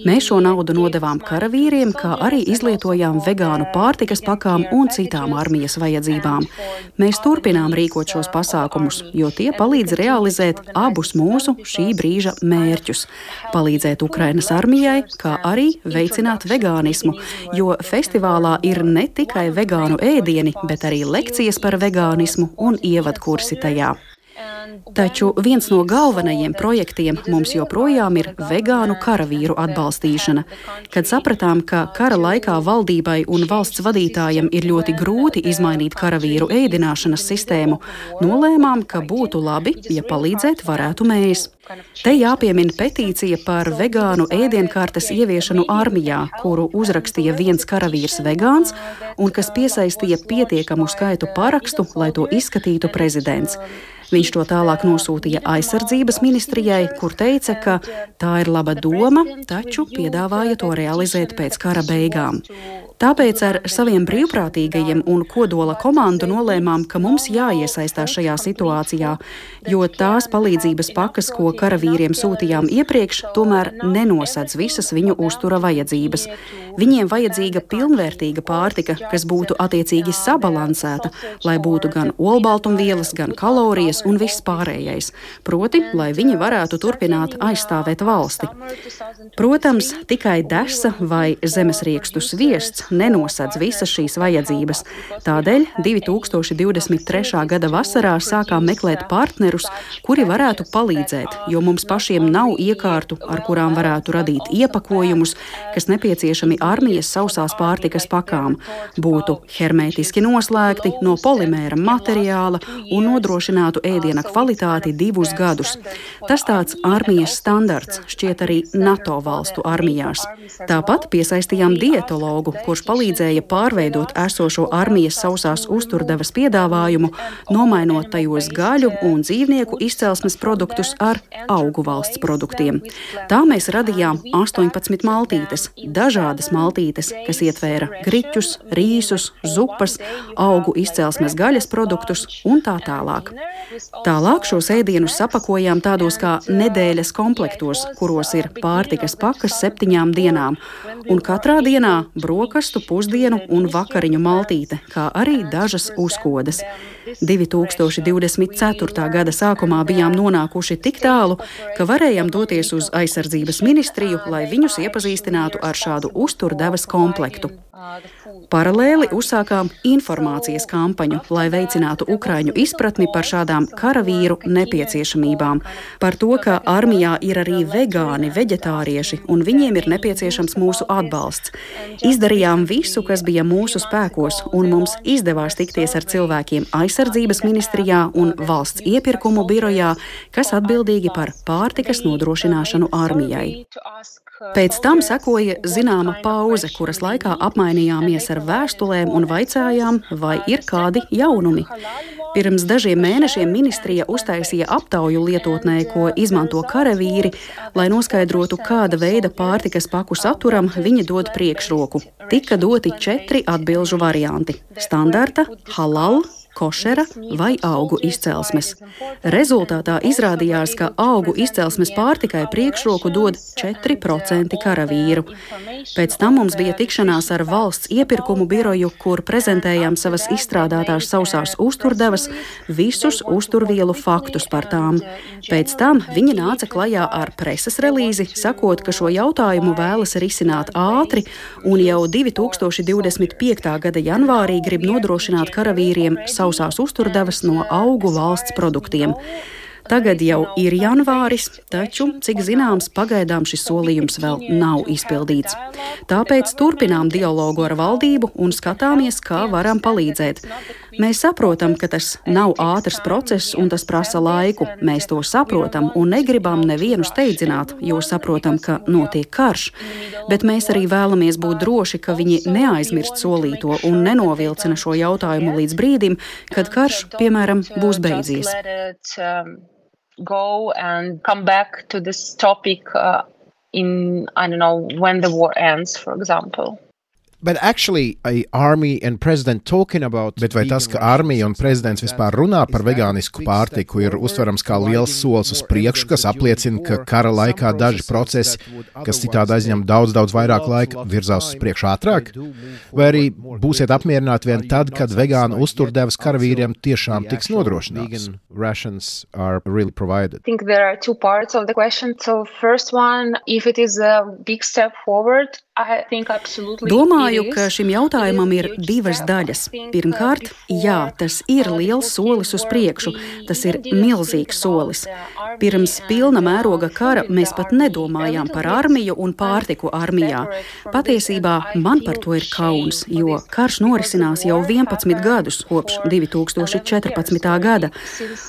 Mēs šo naudu nodevām karavīriem, kā arī izlietojām vegānu pārtikas pakām un citām armijas vajadzībām. Mēs turpinām rīkot šos pasākumus, jo tie palīdz realizēt abus mūsu šī brīža mērķus. Palīdzēt Ukrainas armijai, kā arī veicināt vegānismu, jo festivālā ir ne tikai vegānu ēdieni, bet arī lekcijas par vegānismu un ievadkursi tajā. Taču viens no galvenajiem projektiem mums joprojām ir vegānu karavīru atbalstīšana. Kad sapratām, ka kara laikā valdībai un valsts vadītājiem ir ļoti grūti izmainīt karavīru ēdināšanas sistēmu, nolēmām, ka būtu labi, ja palīdzēt varētu mēs. Te jāpiemina petīcija par vegānu ēdienkartes ieviešanu armijā, kuru uzrakstīja viens karavīrs vegāns un kas piesaistīja pietiekamu skaitu parakstu, lai to izskatītu prezidents. Viņš to tālāk nosūtīja aizsardzības ministrijai, kur teica, ka tā ir laba doma, taču piedāvāja to realizēt pēc kara beigām. Tāpēc ar saviem brīvprātīgajiem un kodola komandu nolēmām, ka mums jāiesaistās šajā situācijā, jo tās palīdzības pakas, ko karavīriem sūtījām iepriekš, tomēr nenosedz visas viņu uztura vajadzības. Viņiem vajadzīga pilnvērtīga pārtika, kas būtu attiecīgi sabalansēta, lai būtu gan olbaltumvielas, gan kalorijas un viss pārējais. Proti, lai viņi varētu turpināt aizstāvēt valsti. Protams, tikai desa vai zemesriekstu sviests nenosedz visas šīs vajadzības. Tādēļ divi tūkstoši divdesmit trešā gada vasarā sākām meklēt partnerus, kuri varētu palīdzēt, jo mums pašiem nav iekārtu, ar kurām varētu radīt iepakojumus, kas nepieciešami armijas sausās pārtikas pakām, būtu hermētiski noslēgti no polimēra materiāla un nodrošinātu ēdiena kvalitāti divus gadus. Tas tāds armijas standarts šķiet arī NATO valstu armijās. Tāpat piesaistījām dietologu, kurš palīdzēja pārveidot esošo armijas sausās uzturdevas piedāvājumu, nomainot tajos gaļu un dzīvnieku izcelsmes produktus ar augu valsts produktiem. Tā mēs radījām astoņpadsmit maltītes, dažādas maltītes, kas ietvēra griķus, rīsus, zupas, augu izcelsmes gaļas produktus un tā tālāk. Tālāk šos ēdienus sapakojām tādos kā nedēļas komplektos, kuros ir pārtikas pakas septiņām dienām, un katrā dienā brokastu, pusdienu un vakariņu maltīte, kā arī dažas uzkodas. divi tūkstoši divdesmit ceturtā gada sākumā bijām nonākuši tik tālu, ka varējām doties uz aizsardzības ministriju, lai viņus iepazīstinātu ar šādu uzturdevas komplektu. Paralēli uzsākām informācijas kampaņu, lai veicinātu ukraiņu izpratni par šādām karavīru nepieciešamībām, par to, ka armijā ir arī vegāni, veģetārieši, un viņiem ir nepieciešams mūsu atbalsts. Izdarījām visu, kas bija mūsu spēkos, un mums izdevās tikties ar cilvēkiem aizsardzības ministrijā un valsts iepirkumu birojā, kas atbildīgi par pārtikas nodrošināšanu armijai. Pēc tam sekoja zināma pauze, kuras laikā apmainījāmies ar vēstulēm un vaicājām, vai ir kādi jaunumi. Pirms dažiem mēnešiem ministrija uztaisīja aptauju lietotnē, ko izmanto karavīri, lai noskaidrotu, kāda veida pārtikas paku saturam viņi dod priekšroku. Tika doti četri atbilžu varianti – standarta, halal, košera vai augu izcelsmes. Rezultātā izrādījās, ka augu izcelsmes pārtikai priekšroku dod četri procenti karavīru. Pēc tam mums bija tikšanās ar valsts iepirkumu biroju, kur prezentējām savas izstrādātās sausās uzturdevas, visus uzturvielu faktus par tām. Pēc tam viņi nāca klajā ar preses relīzi, sakot, ka šo jautājumu vēlas risināt ātri un jau divi tūkstoši divdesmit piektā gada janvārī grib nodrošināt karavīriem sausās uzturdevas no augu valsts produktiem. Tagad jau ir janvāris, taču, cik zināms, pagaidām šis solījums vēl nav izpildīts. Tāpēc turpinām dialogu ar valdību un skatāmies, kā varam palīdzēt. Mēs saprotam, ka tas nav ātrs process un tas prasa laiku. Mēs to saprotam un negribam nevienu steidzināt, jo saprotam, ka notiek karš. Bet mēs arī vēlamies būt droši, ka viņi neaizmirst solīto un nenovilcina šo jautājumu līdz brīdim, kad karš, piemēram, būs beidzies. Go and come back to this topic uh, in, I don't know, when the war ends, for example. But actually, a army and president talking about... Bet vai tas, ka armija un prezidents vispār runā par vegānisku pārtiku, ir uztverams kā liels solis uz priekšu, kas apliecina, ka kara laikā daži procesi, kas citādi aizņem daudz, daudz vairāk laika, virzās uz priekšu ātrāk? Vai arī būsiet apmierināti vien tad, kad vegāna uzturdevas karavīriem tiešām tiks nodrošināts? Rations are really provided. I think there are two parts of the question. So first one, if it is a big step forward, I think absolutely. Domāju, ka šim jautājumam ir divas daļas. Pirmkārt, jā, tas ir liels solis uz priekšu. Tas ir milzīgs solis. Pirms pilna mēroga kara mēs pat nedomājām par armiju un pārtiku armijā. Patiesībā man par to ir kauns, jo karš norisinās jau vienpadsmit gadus kopš divi tūkstoši četrpadsmitā gada.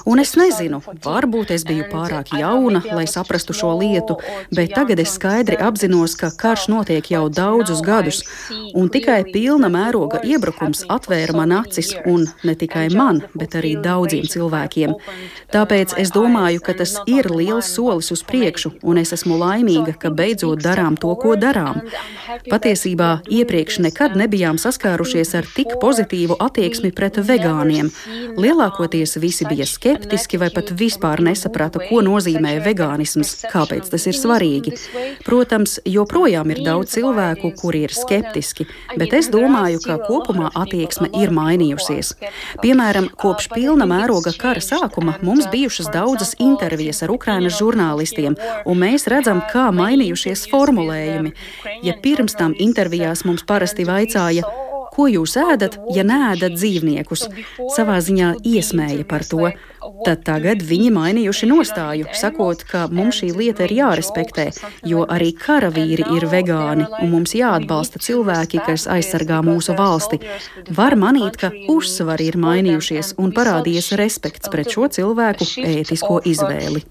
Un es nezinu, varbūt es biju pārāk jauna, lai saprastu šo lietu, bet tagad es skaidri apzinos, ka karš notiek jau daudzus gadus, un tikai pilna mēroga iebrukums atvēra man acis, un ne tikai man, bet arī daudziem cilvēkiem. Tāpēc es domāju, ka tas ir liels solis uz priekšu, un es esmu laimīga, ka beidzot darām to, ko darām. Patiesībā iepriekš nekad nebijām saskārušies ar tik pozitīvu attieksmi pret vegāniem. Lielākoties visi bija skeptiski vai pat vispār nesaprata, ko nozīmē vegānisms, kāpēc tas ir svarīgi. Protams, joprojām ir daudz cilvēku, kuri ir skeptiski, lieliski, bet es domāju, ka kopumā attieksme ir mainījusies. Piemēram, kopš pilna mēroga kara sākuma mums bijušas daudzas intervijas ar Ukrainas žurnālistiem, un mēs redzam, kā mainījušies formulējumi. Ja pirms tam intervijās mums parasti vaicāja, ko jūs ēdat, ja neēdat dzīvniekus, savā ziņā iesmēja par to, tad tagad viņi mainījuši nostāju, sakot, ka mums šī lieta ir jārespektē, jo arī karavīri ir vegāni, un mums jāatbalsta cilvēki, kas aizsargā mūsu valsti. Var manīt, ka uzsvari ir mainījušies un parādījies respekts pret šo cilvēku ētisko izvēli.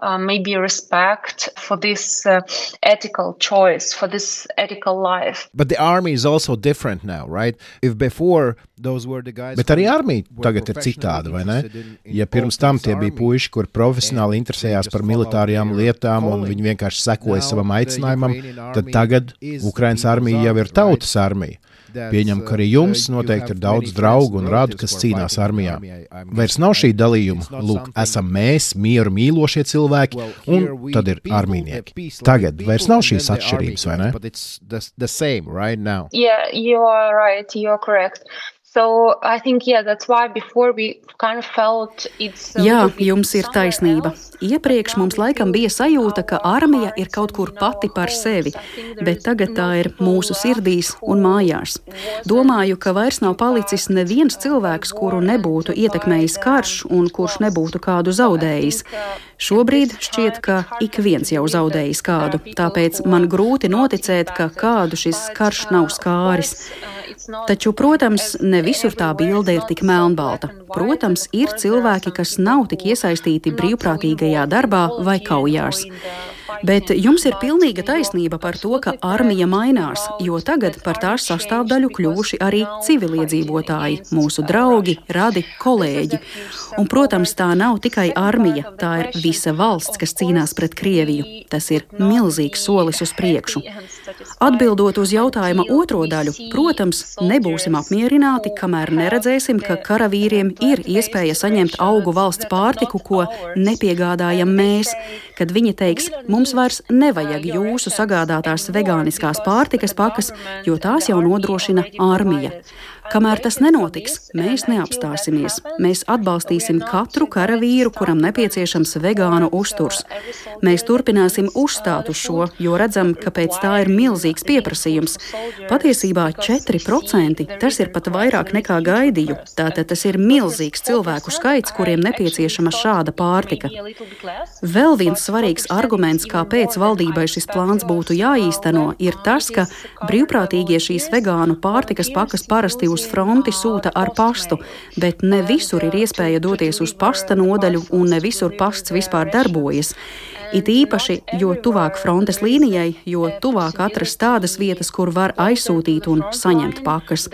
Uh, maybe respect for this uh, ethical choice, for this ethical life. But the army is also different now, right? If before those were the guys. Bet arī armija tagad ir citāda, vai ne? Ja pirms tam tie bija puiši, kur profesionāli interesējās par militārajām lietām un viņi vienkārši sekoja savam aicinājumam, tad tagad Ukrainas armija jau ir tautas armija. Pieņem, ka arī jums noteikti ir daudz draugu un radu, kas cīnās armijā. Vairs nav šī dalījuma. Lūk, esam mēs, mieru mīlošie cilvēki, un tad ir armijnieki. Tagad vairs nav šīs atšķirības, vai ne? Yeah, you are right, you are correct. So I think, yeah, that's why before we kind of felt it's Jā, jums ir taisnība. Iepriekš mums laikam bija sajūta, ka armija ir kaut kur pati par sevi, bet tagad tā ir mūsu sirdīs un mājās. Domāju, ka vairs nav palicis neviens cilvēks, kuru nebūtu ietekmējis karš un kurš nebūtu kādu zaudējis. Šobrīd šķiet, ka ik viens jau zaudējis kādu, tāpēc man grūti noticēt, ka kādu šis karš nav skāris. Taču, protams, ne visur tā bilde ir tik melnbalta. Protams, ir cilvēki, kas nav tik iesaistīti brīvprātīgajā darbā vai kaujās. Bet jums ir pilnīga taisnība par to, ka armija mainās, jo tagad par tās sastāvdaļu kļuvuši arī civiliedzīvotāji, mūsu draugi, radi, kolēģi. Un, protams, tā nav tikai armija, tā ir visa valsts, kas cīnās pret Krieviju. Tas ir milzīgs solis uz priekšu. Atbildot uz jautājuma otro daļu, protams, nebūsim apmierināti, kamēr neredzēsim, ka karavīriem ir iespēja saņemt augu valsts pārtiku, ko nepiegādājam mēs, kad viņi teiks, mums vairs nevajag jūsu sagādātās vegāniskās pārtikas pakas, jo tās jau nodrošina armija. Kamēr tas nenotiks, mēs neapstāsimies. Mēs atbalstīsim katru karavīru, kuram nepieciešams vegānu uzturs. Mēs turpināsim uzstāt uz šo, jo redzam, ka pēc tā ir milzīgs pieprasījums. Patiesībā četri procenti, tas ir pat vairāk nekā gaidīju. Tātad tas ir milzīgs cilvēku skaits, kuriem nepieciešama šāda pārtika. Vēl viens svarīgs arguments, kāpēc valdībai šis plāns būtu jāīsteno, ir tas, ka brīvprātīgie šīs vegānu pārtikas pakas parasti uz fronti sūta ar pastu, bet ne visur ir iespēja doties uz pasta nodaļu un ne visur pasts vispār darbojas. It īpaši, jo tuvāk frontes līnijai, jo tuvāk atrast tādas vietas, kur var aizsūtīt un saņemt pakas.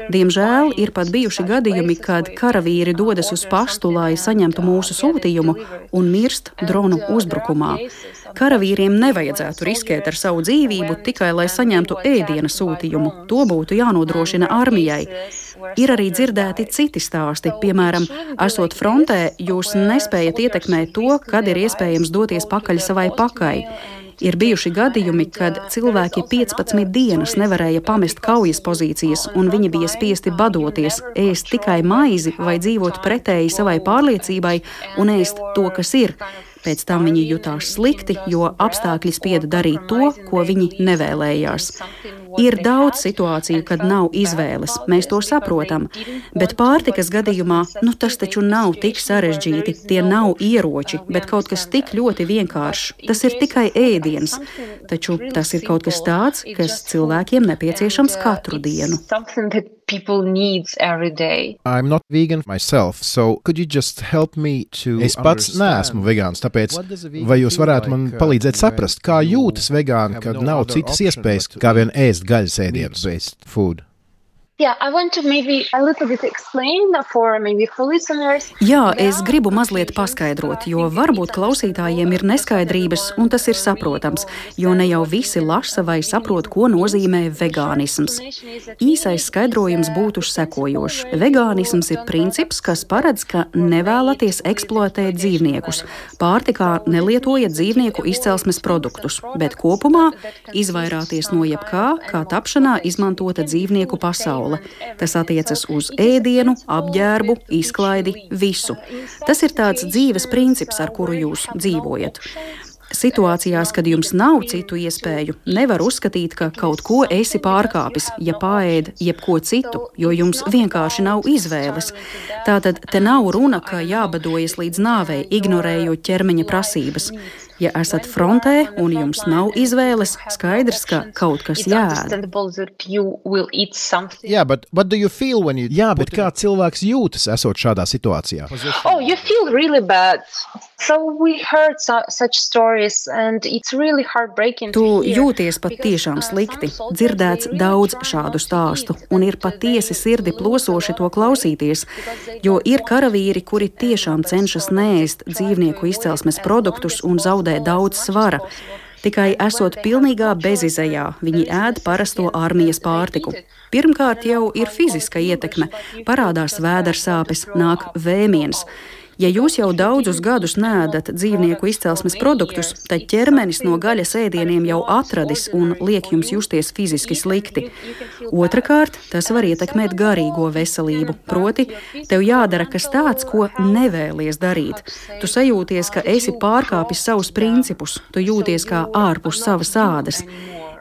Diemžēl ir pat bijuši gadījumi, kad karavīri dodas uz pastu, lai saņemtu mūsu sūtījumu un mirst dronu uzbrukumā. Karavīriem nevajadzētu riskēt ar savu dzīvību tikai, lai saņemtu ēdiena sūtījumu. To būtu jānodrošina armijai. Ir arī dzirdēti citi stāsti, piemēram, esot frontē, jūs nespējat ietekmēt to, kad ir iespējams doties pakaļ savai pakai. Ir bijuši gadījumi, kad cilvēki piecpadsmit dienas nevarēja pamest kaujas pozīcijas, un viņi bija spiesti badoties, ēst tikai maizi vai dzīvot pretēji savai pārliecībai un ēst to, kas ir. Pēc tam viņi jutās slikti, jo apstākļi spieda darīt to, ko viņi nevēlējās. Ir daudz situāciju, kad nav izvēles, mēs to saprotam, bet pārtikas gadījumā, nu tas taču nav tik sarežģīti, tie nav ieroči, bet kaut kas tik ļoti vienkāršs. Tas ir tikai ēdiens, taču tas ir kaut kas tāds, kas cilvēkiem nepieciešams katru dienu. People needs every day. I'm not vegan myself, so could you just help me to Es pats neesmu vegāns, tāpēc vai jūs varētu man palīdzēt saprast, kā jūtas vegāni, kad nav citas iespējas, kā vien ēst gaļas ēdienus? Yeah, I want to maybe a little bit explain for maybe for listeners. Jā, es gribu mazliet paskaidrot, jo varbūt klausītājiem ir neskaidrības, un tas ir saprotams, jo ne jau visi lasa vai saprot, ko nozīmē vegānisms. Īsais skaidrojums būtu sekojošs. Vegānisms ir princips, kas paredz, ka nevēlaties eksploatēt dzīvniekus, pārtikā nelietojat dzīvnieku izcelsmes produktus, bet kopumā izvairāties no jebkā, kā tapšanā izmantota dzīvnieku pasaule. Tas attiecas uz ēdienu, apģērbu, izklaidi, visu. Tas ir tāds dzīves princips, ar kuru jūs dzīvojat. Situācijās, kad jums nav citu iespēju, nevar uzskatīt, ka kaut ko esi pārkāpis, ja paēd jebko citu, jo jums vienkārši nav izvēles. Tātad te nav runa, ka jābadojas līdz nāvei, ignorējot ķermeņa prasības. Ja esat frontē un jums nav izvēles, skaidrs, ka kaut kas jāēd. Yeah, but what do you feel when you... Jā, bet kā cilvēks jūtas, esot šādā situācijā? Oh, you feel really bad. So we heard so, such stories and it's really heartbreaking. Tu jūties pat tiešām slikti. Dzirdēts daudz šādu stāstu, un ir patiesi sirdi plosoši to klausīties, jo ir karavīri, kuri tiešām cenšas neēst dzīvnieku izcelsmes produktus un zaudē daudz svara. Tikai esot pilnīgā bezizejā, viņi ēd parasto armijas pārtiku. Pirmkārt jau ir fiziska ietekme, parādās vēdersāpes, nāk vēmiens. Ja jūs jau daudzus gadus neēdat dzīvnieku izcelsmes produktus, tad ķermenis no gaļas ēdieniem jau atradis un liek jums justies fiziski slikti. Otrakārt, tas var ietekmēt garīgo veselību, proti, tev jādara kas tāds, ko nevēlies darīt. Tu sajūties, ka esi pārkāpis savus principus, tu jūties kā ārpus savas ādas.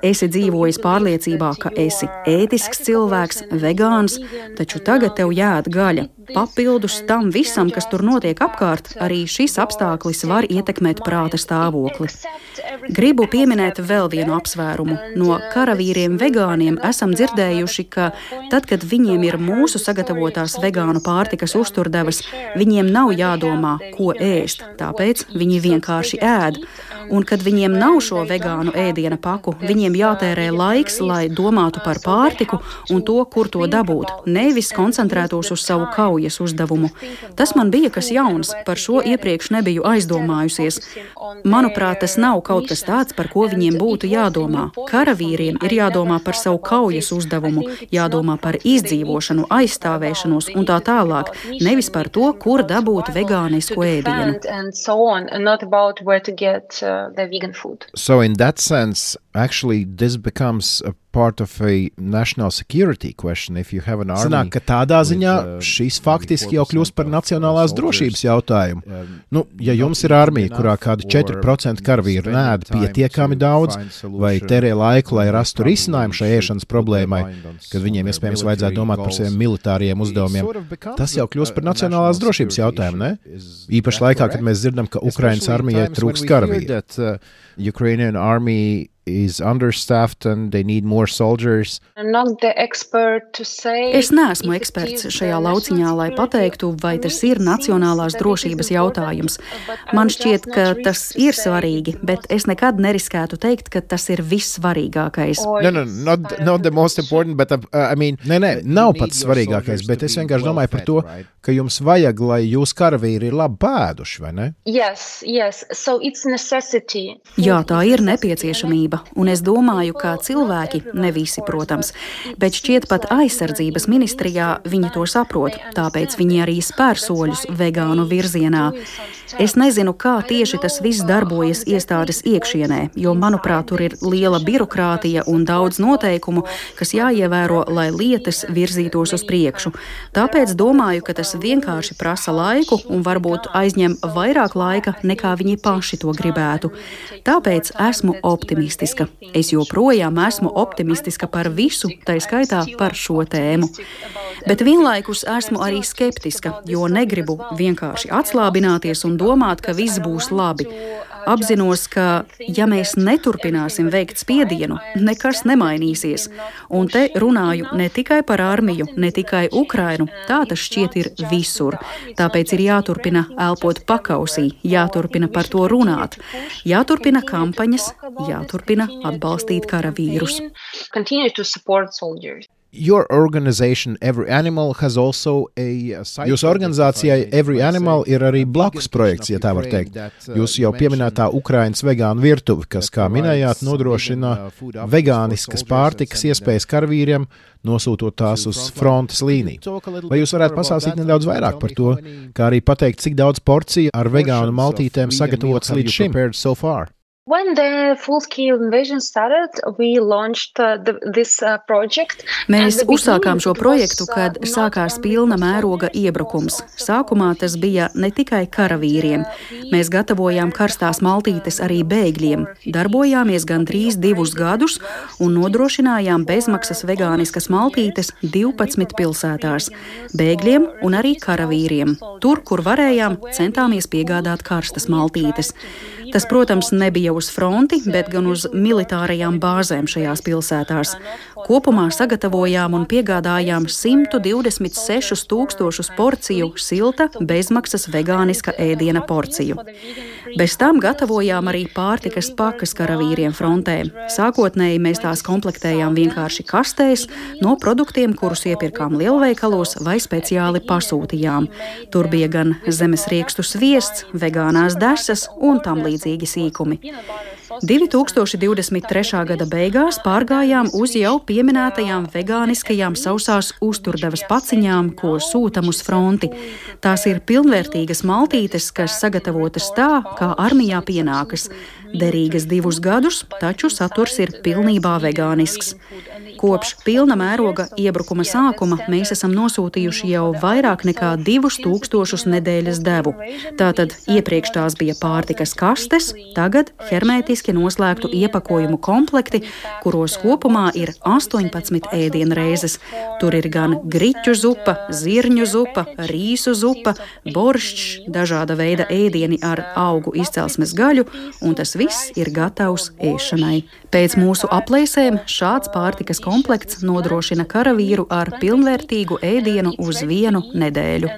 Esi dzīvojis pārliecībā, ka esi ētisks cilvēks, vegāns, taču tagad tev jāēd gaļa. Papildus tam visam, kas tur notiek apkārt, arī šis apstākļis var ietekmēt prāta stāvokli. Gribu pieminēt vēl vienu apsvērumu. No karavīriem vegāniem esam dzirdējuši, ka tad, kad viņiem ir mūsu sagatavotās vegānu pārtikas uzturdevas, viņiem nav jādomā, ko ēst, tāpēc viņi vienkārši ēd. Un kad viņiem nav šo vegānu ēdiena paku, viņiem jātērē laiks, lai domātu par pārtiku un to, kur to dabūt, nevis koncentrētos uz savu kaujas uzdevumu. Tas man bija kas jauns, par šo iepriekš nebiju aizdomājusies. Manuprāt, tas nav kaut kas tāds, par ko viņiem būtu jādomā. Karavīriem ir jādomā par savu kaujas uzdevumu, jādomā par izdzīvošanu, aizstāvēšanos un tā tālāk, nevis par to, kur dabūt vegānisku ēdienu. The vegan food. So in that sense, actually this becomes a part of a national security question if you have an army. Sanāk, ka tādā ziņā šis faktiski jau kļūst par nacionālās drošības jautājumu. Nu, ja jums ir armija, kurā kādi četri procenti karavīru neēd pietiekami daudz, vai terē laiku, lai rastu risinājumu šai ēšanas problēmai, kad viņiem iespējams vajadzētu domāt par saviem militāriem uzdevumiem, tas jau kļūst par nacionālās drošības jautājumu, ne? Īpaši laikā, kad mēs dzirdam, ka Ukrainas armijai trūks karavīru. Ukrainian army is understaffed and they need more soldiers. Es neesmu eksperts šajā lauciņā, lai pateiktu, vai tas ir nacionālās drošības jautājums. Man šķiet, ka tas ir svarīgi, bet es nekad neriskētu teikt, ka tas ir vissvarīgākais. No, no, not, not the most important, but uh, I mean, nē, nē, nav pats svarīgākais, bet es vienkārši domāju par to, ka jums vajag, lai jūs karavīri ir labi pēduši, vai ne? Yes, yes. So it's necessity. Jā, tā ir nepieciešamība. Un es domāju, ka cilvēki, ne visi, protams, bet šķiet pat aizsardzības ministrijā viņi to saprot, tāpēc viņi arī spēr soļus vegānu virzienā. Es nezinu, kā tieši tas viss darbojas iestādes iekšienē, jo, manuprāt, tur ir liela birokrātija un daudz noteikumu, kas jāievēro, lai lietas virzītos uz priekšu. Tāpēc domāju, ka tas vienkārši prasa laiku un varbūt aizņem vairāk laika, nekā viņi paši to gribētu. Tāpēc esmu optimistiska. Es joprojām esmu optimistiska par visu, tai skaitā par šo tēmu. Bet vienlaikus esmu arī skeptiska, jo negribu vienkārši atslābināties un domāt, ka viss būs labi. Apzinos, ka ja mēs neturpināsim veikt spiedienu, nekas nemainīsies. Un te runāju ne tikai par armiju, ne tikai Ukrainu, tā tas šķiet ir visur. Tāpēc ir jāturpina elpot pakausī, jāturpina par to runāt, jāturpina kampaņas, jāturpina atbalstīt karavīrus. Your organization, Every Animal, has also a Jūsu organizācijai Every Animal ir arī blakus projekts, ja tā var teikt. Jūsu jau pieminētā Ukrainas vegānu virtuve, kas, kā minējāt, nodrošina vegāniskas pārtikas iespējas karavīriem, nosūtot tās uz frontes līniju. Vai jūs varētu pastāstīt nedaudz vairāk par to, kā arī pateikt, cik daudz porciju ar vegānu maltītēm sagatavots līdz šim? When the full-scale invasion started, we launched uh, the, this uh, project. Mēs uzsākām šo projektu, kad sākās pilna mēroga iebrukums. Sākumā tas bija ne tikai karavīriem. Mēs gatavojām karstās maltītes arī bēgļiem. Darbojāmies gandrīz divus gadus un nodrošinājām bezmaksas vegāniskas maltītes divpadsmit pilsētās. Bēgļiem un arī karavīriem. Tur, kur varējām, centāmies piegādāt karstas maltītes. Tas, protams, nebija uz fronti, bet gan uz militārajām bāzēm šajās pilsētās. Kopumā sagatavojām un piegādājām simt divdesmit sešus tūkstošus porciju silta, bezmaksas vegāniska ēdiena porciju. Bez tam gatavojām arī pārtikas pakas karavīriem frontē. Sākotnēji mēs tās komplektējām vienkārši kastēs no produktiem, kurus iepirkām lielveikalos vai speciāli pasūtījām. Tur bija gan zemes riekstu sviests, vegānās desas un tam līdzīgi sīkumi. divi tūkstoši divdesmit trešā gada beigās pārgājām uz jau pieminētajām vegāniskajām sausās uzturdevas paciņām, ko sūtam uz fronti. Tās ir pilnvērtīgas maltītes, kas sagatavotas tā, kā armijā pienākas. Derīgas divus gadus, taču saturs ir pilnībā vegānisks. Kopš pilna mēroga iebrukuma sākuma mēs esam nosūtījuši jau vairāk nekā divus tūkstošus nedēļas devu. Tātad iepriekš tās bija pārtikas kastes, tagad hermētiski noslēgtu iepakojumu komplekti, kuros kopumā ir astoņpadsmit ēdienreizes. Tur ir gan griķu zupa, zirņu zupa, rīsu zupa, boršķs, dažāda veida ēdieni ar augu izcelsmes gaļu, un tas viss ir gatavs ēšanai. Pēc mūsu aplēsēm šāds pārtikas komplekts nodrošina karavīru ar pilnvērtīgu ēdienu uz vienu nedēļu.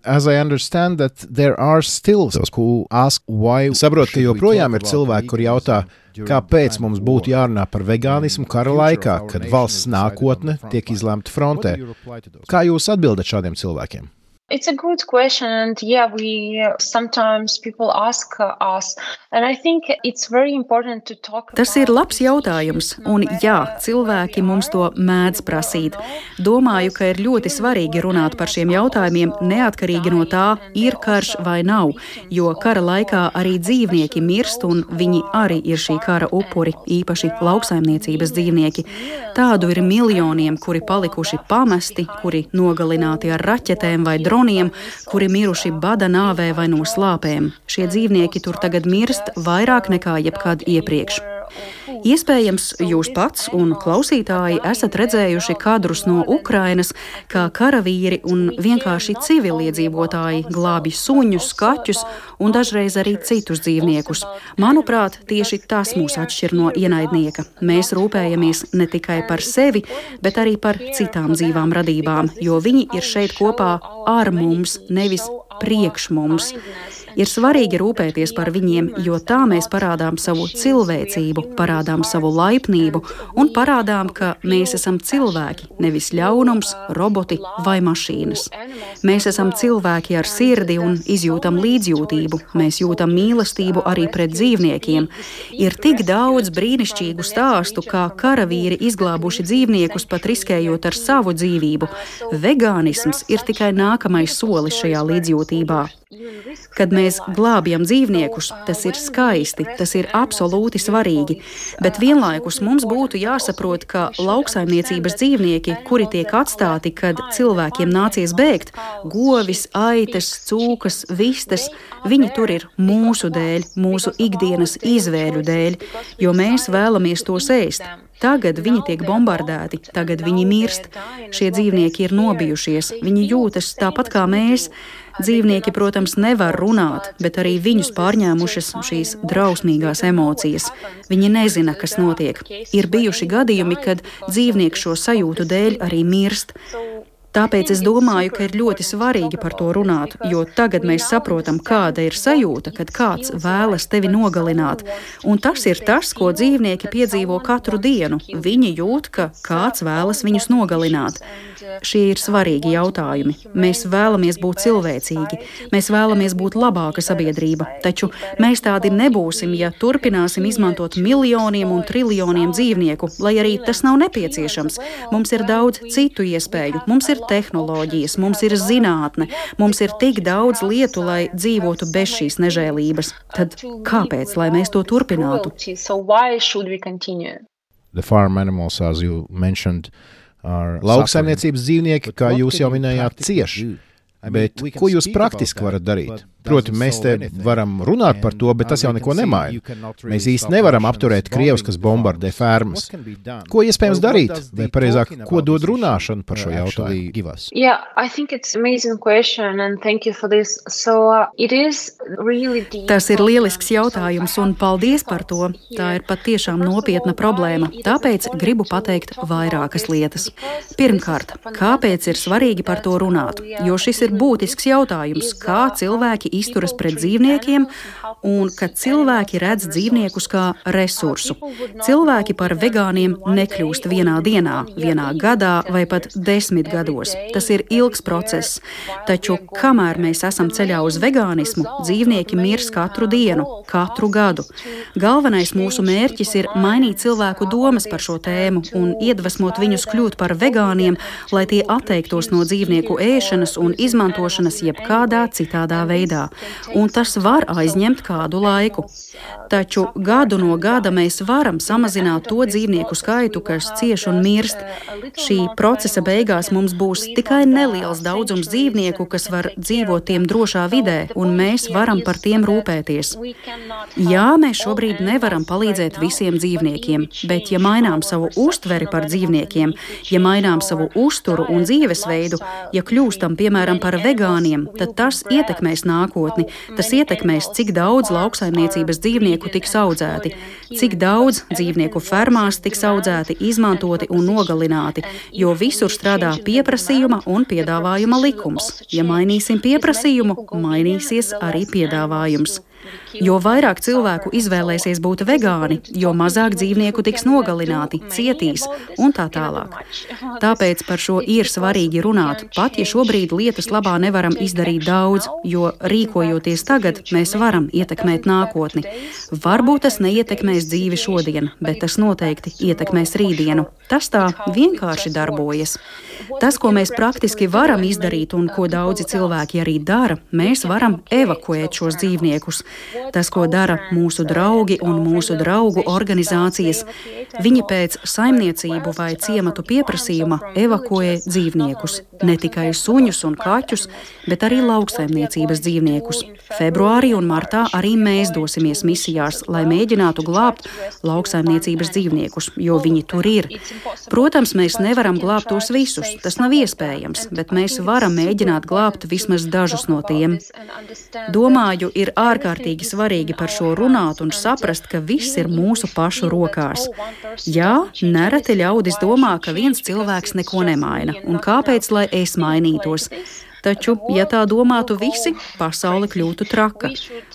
As I understand that there are still those who ask why. Saprot, ka joprojām ir cilvēki, kur jautā, kāpēc mums būtu jārunā par vegānismu kara laikā, kad valsts nākotne tiek izlemta frontē. Kā jūs atbildat šādiem cilvēkiem? It's a good question, and yeah, we uh, sometimes people ask uh, us, and I think it's very important to talk. Tas ir labs jautājums, un jā, cilvēki mums to mēdz prasīt. Domāju, ka ir ļoti svarīgi runāt par šiem jautājumiem, neatkarīgi no tā, ir karš vai nav, jo kara laikā arī dzīvnieki mirst, un viņi arī ir šī kara upuri, īpaši lauksaimniecības dzīvnieki. Tādu ir miljoniem, kuri palikuši pamesti, kuri nogalināti ar raķetēm vai droniem, kuri miruši bada nāvē vai no slāpēm. Šie dzīvnieki tur tagad mirst vairāk nekā jebkad iepriekš. Iespējams, jūs pats un klausītāji esat redzējuši kadrus no Ukrainas, kā karavīri un vienkārši civiliedzīvotāji glābi suņus, kaķus un dažreiz arī citus dzīvniekus. Manuprāt, tieši tas mūs atšķir no ienaidnieka. Mēs rūpējamies ne tikai par sevi, bet arī par citām dzīvām radībām, jo viņi ir šeit kopā ar mums, nevis priekš mums. Ir svarīgi rūpēties par viņiem, jo tā mēs parādām savu cilvēcību, parādām savu laipnību un parādām, ka mēs esam cilvēki, nevis ļaunums, roboti vai mašīnas. Mēs esam cilvēki ar sirdi un izjūtam līdzjūtību, mēs jūtam mīlestību arī pret dzīvniekiem. Ir tik daudz brīnišķīgu stāstu, kā karavīri izglābuši dzīvniekus, pat riskējot ar savu dzīvību. Vegānisms ir tikai nākamais solis šajā līdzjūtībā. Kad mēs glābjam dzīvniekus, tas ir skaisti, tas ir absolūti svarīgi, bet vienlaikus mums būtu jāsaprot, ka lauksaimniecības dzīvnieki, kuri tiek atstāti, kad cilvēkiem nācies bēgt, govis, aitas, cūkas, vistas, viņi tur ir mūsu dēļ, mūsu ikdienas izvēļu dēļ, jo mēs vēlamies tos ēst. Tagad viņi tiek bombardēti, tagad viņi mirst. Šie dzīvnieki ir nobijušies, viņi jūtas tāpat kā mēs. Dzīvnieki, protams, nevar runāt, bet arī viņus pārņēmušas šīs drausmīgās emocijas. Viņi nezina, kas notiek. Ir bijuši gadījumi, kad dzīvnieki šo sajūtu dēļ arī mirst. Tāpēc es domāju, ka ir ļoti svarīgi par to runāt, jo tagad mēs saprotam, kāda ir sajūta, kad kāds vēlas tevi nogalināt. Un tas ir tas, ko dzīvnieki piedzīvo katru dienu. Viņi jūt, ka kāds vēlas viņus nogalināt. Šie ir svarīgi jautājumi. Mēs vēlamies būt cilvēcīgi, mēs vēlamies būt labāka sabiedrība, taču mēs tādi nebūsim, ja turpināsim izmantot miljoniem un triljoniem dzīvnieku, lai arī tas nav nepieciešams. Mums ir daudz citu iespēju, mums ir tehnoloģijas, mums ir zinātne, mums ir tik daudz lietu, lai dzīvotu bez šīs nežēlības. Tad kāpēc, lai mēs to turpinātu? The farm animals, as you mentioned, are lauksaimniecības dzīvnieki, kā jūs jau minējāt, cieši. Bet ko jūs praktiski varat darīt? Proti, mēs te varam runāt par to, bet tas jau neko nemaina. Mēs īsti nevaram apturēt Krievus, kas bombardē fermas. Ko iespējams darīt? Vai pareizāk, ko dod runāšana par šo jautājumu? Yeah, I think it's amazing question and thank you for this. So uh, it is really deep. Tas ir lielisks jautājums un paldies par to. Tā ir patiešām nopietna problēma. Tāpēc gribu pateikt vairākas lietas. Pirmkārt, kāpēc ir svarīgi par to runāt? Jo šis ir būtisks jautājums, kā cilvēki izturas pret dzīvniekiem un ka cilvēki redz dzīvniekus kā resursu. Cilvēki par vegāniem nekļūst vienā dienā, vienā gadā vai pat desmit gados. Tas ir ilgs process. Taču, kamēr mēs esam ceļā uz vegānismu, dzīvnieki mirs katru dienu, katru gadu. Galvenais mūsu mērķis ir mainīt cilvēku domas par šo tēmu un iedvesmot viņus kļūt par vegāniem, lai tie atteiktos no dzīvnieku ēšanas un izmantošanas jebkādā citādā veidā. Un tas var aizņemt kādu laiku. Taču gadu no gada mēs varam samazināt to dzīvnieku skaitu, kas cieš un mirst. Šī procesa beigās mums būs tikai neliels daudzums dzīvnieku, kas var dzīvot tiem drošā vidē, un mēs varam par tiem rūpēties. Jā, mēs šobrīd nevaram palīdzēt visiem dzīvniekiem, bet ja mainām savu uztveri par dzīvniekiem, ja mainām savu uzturu un dzīvesveidu, ja kļūstam, piemēram, par vegāniem, tad tas ietekmēs nākotni. Tas ietekmēs, cik daudz lauksaimniecības dzīvnieku tiks audzēti, cik daudz dzīvnieku fermās tiks audzēti, izmantoti un nogalināti, jo visur strādā pieprasījuma un piedāvājuma likums. Ja mainīsim pieprasījumu, mainīsies arī piedāvājums. Jo vairāk cilvēku izvēlēsies būt vegāni, jo mazāk dzīvnieku tiks nogalināti, cietīs un tā tālāk. Tāpēc par šo ir svarīgi runāt, pat ja šobrīd lietas labā nevaram izdarīt daudz, jo rīkojoties tagad, mēs varam ietekmēt nākotni. Varbūt tas neietekmēs dzīvi šodien, bet tas noteikti ietekmēs rītdienu. Tas tā vienkārši darbojas. Tas, ko mēs praktiski varam izdarīt un ko daudzi cilvēki arī dara, mēs varam evakuēt šos dzīvniekus. Tas, ko dara mūsu draugi un mūsu draugu organizācijas, viņi pēc saimniecību vai ciematu pieprasījuma evakuē dzīvniekus. Ne tikai suņus un kaķus, bet arī lauksaimniecības dzīvniekus. Februārī un martā arī mēs dosimies misijās, lai mēģinātu glābt lauksaimniecības dzīvniekus, jo viņi tur ir. Protams, mēs nevaram glābt tos visus, tas nav iespējams, bet mēs varam mēģināt glābt vismaz dažus no tiem. Domāju, ir ārkārtīgi svarīgi par šo runāt un saprast, ka viss ir mūsu pašu rokās. Jā, nereti ļaudis domā, ka viens cilvēks neko nemaina, un kāpēc, lai es mainītos? Taču, ja tā domātu visi, pasaule kļūtu traka.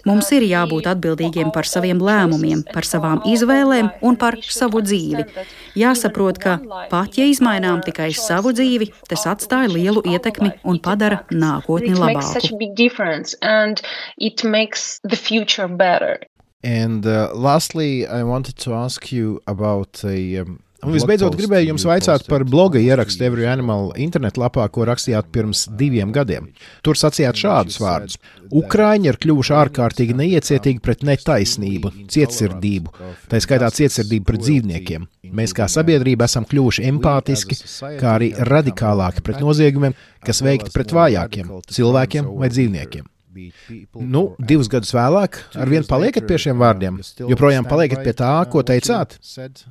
Mums ir jābūt atbildīgiem par saviem lēmumiem, par savām izvēlēm un par savu dzīvi. Jāsaprot, ka pat ja izmainām tikai savu dzīvi, tas atstāja lielu ietekmi un padara nākotni labāku. And uh, lastly, I wanted to ask you about a um, Un visbeidzot gribēju jums vaicāt par bloga ierakstu Every Animal internetlapā, ko rakstījāt pirms diviem gadiem. Tur sacījāt šādus vārdus. Ukraiņi ir kļuvuši ārkārtīgi neiecietīgi pret netaisnību, cietsirdību, tā skaitā cietsirdību pret dzīvniekiem. Mēs kā sabiedrība esam kļuvuši empātiski, kā arī radikālāki pret noziegumiem, kas veikti pret vājākiem, cilvēkiem vai dzīvniekiem. Nu, divus gadus vēlāk, arvien paliekat pie šiem vārdiem? Joprojām paliekat pie tā, ko teicāt?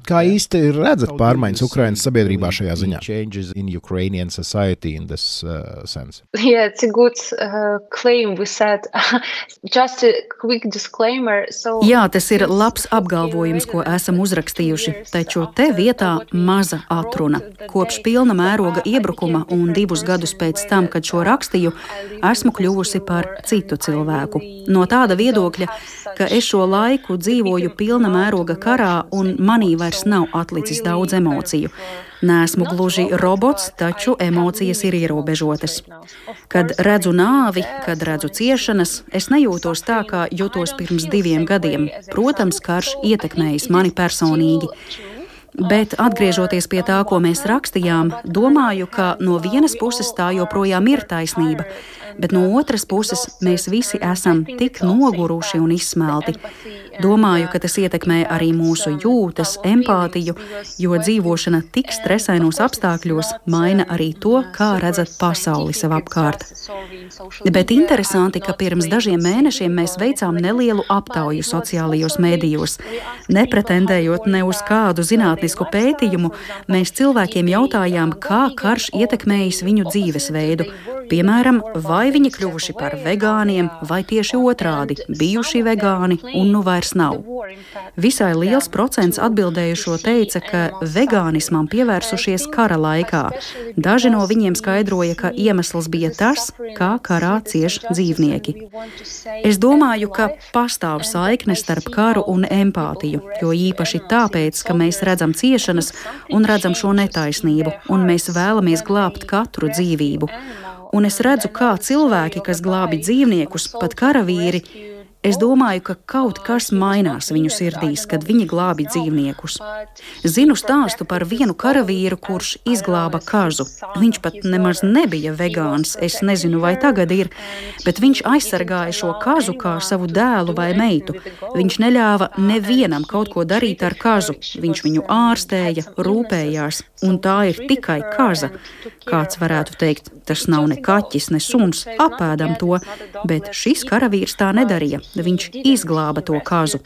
Kā īsti redzat pārmaiņas Ukrainas sabiedrībā šajā ziņā? Yeah, it's a good uh, claim we said. Just a quick disclaimer. So Jā, tas ir labs apgalvojums, ko esam uzrakstījuši, taču te vietā maza atruna. Kopš pilna mēroga iebrukuma un divus gadus pēc tam, kad šo rakstīju, esmu kļuvusi par citu cilvēku. No tāda viedokļa, ka es šo laiku dzīvoju pilna mēroga karā un manī vairs nav atlicis daudz emociju. Neesmu gluži robots, taču emocijas ir ierobežotas. Kad redzu nāvi, kad redzu ciešanas, es nejūtos tā, kā jutos pirms diviem gadiem. Protams, karš ietekmējis mani personīgi. Bet atgriežoties pie tā, ko mēs rakstījām, domāju, ka no vienas puses tā joprojām ir taisnība, bet no otras puses mēs visi esam tik noguruši un izsmelti. Domāju, ka tas ietekmē arī mūsu jūtas, empātiju, jo dzīvošana tik stresainos apstākļos maina arī to, kā redzat pasauli sev apkārt. Bet interesanti, ka pirms dažiem mēnešiem mēs veicām nelielu aptauju sociālajos mēdījos. Nepretendējot ne uz kādu zinātnisku pētījumu, mēs cilvēkiem jautājām, kā karš ietekmējis viņu dzīvesveidu. Piemēram, vai viņi kļuvuši par vegāniem, vai tieši otrādi, bijuši vegāni un nu vairs nav. Visai liels procents atbildējušo teica, ka vegānismam pievērsušies kara laikā. Daži no viņiem skaidroja, ka iemesls bija tas, kā karā cieš dzīvnieki. Es domāju, ka pastāv saikne starp karu un empātiju, jo īpaši tāpēc, ka mēs redzam ciešanas un redzam šo netaisnību, un mēs vēlamies glābt katru dzīvību. Un es redzu, kā cilvēki, kas glābi dzīvniekus, pat karavīri, es domāju, ka kaut kas mainās viņu sirdīs, kad viņi glābi dzīvniekus. Zinu stāstu par vienu karavīru, kurš izglāba kažu. Viņš pat nemaz nebija vegāns, es nezinu, vai tagad ir, bet viņš aizsargāja šo kažu kā savu dēlu vai meitu. Viņš neļāva nevienam kaut ko darīt ar kažu. Viņš viņu ārstēja, rūpējās, un tā ir tikai kaža. Kāds varētu teikt, tas nav ne kaķis, ne suns, apēdam to, bet šis karavīrs tā nedarīja. Viņš izglāba to kažu.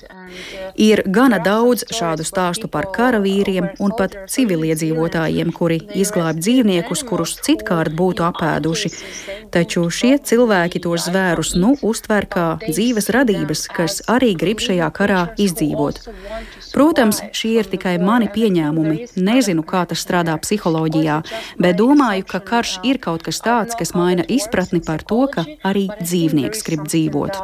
Ir gana daudz šādu stāstu par karavīriem un pat civiliedzīvotājiem, kuri izglāb dzīvniekus, kurus citkārt būtu apēduši. Taču šie cilvēki tos zvērus nu uztver kā dzīves radības, kas arī grib šajā karā izdzīvot. Protams, šie ir tikai mani pieņēmumi. Nezinu, kā tas strādā psiholoģijā, bet domāju, ka karš ir kaut kas tāds, kas maina izpratni par to, ka arī dzīvnieks grib dzīvot.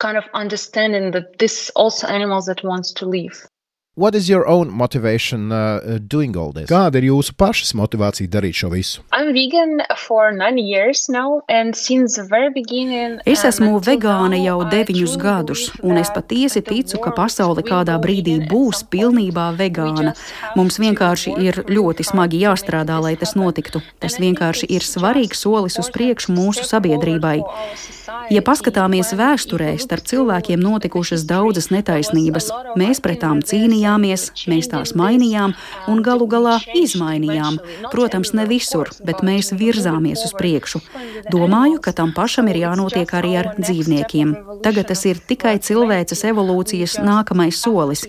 Kind of understanding that this also animals that wants to live. What is your own motivation uh, doing all this? Kāda ir jūsu pašas motivācija darīt šo visu? I'm vegan for nine years now, and since the very beginning. Es esmu vegāne jau deviņus gadus, un es patiesi ticu, ka pasaule kādā brīdī būs pilnībā vegāna. Mums vienkārši ir ļoti smagi jāstrādā, lai tas notiktu. Tas vienkārši ir svarīgs solis uz priekšu mūsu sabiedrībai. Ja paskatāmies vēsturē, starp cilvēkiem notikušas daudzas netaisnības. Mēs pret tām cīnījāmies, mēs tās mainījām un galu galā izmainījām. Protams, ne visur, bet mēs virzāmies uz priekšu. Domāju, ka tam pašam ir jānotiek arī ar dzīvniekiem. Tagad tas ir tikai cilvēces evolūcijas nākamais solis.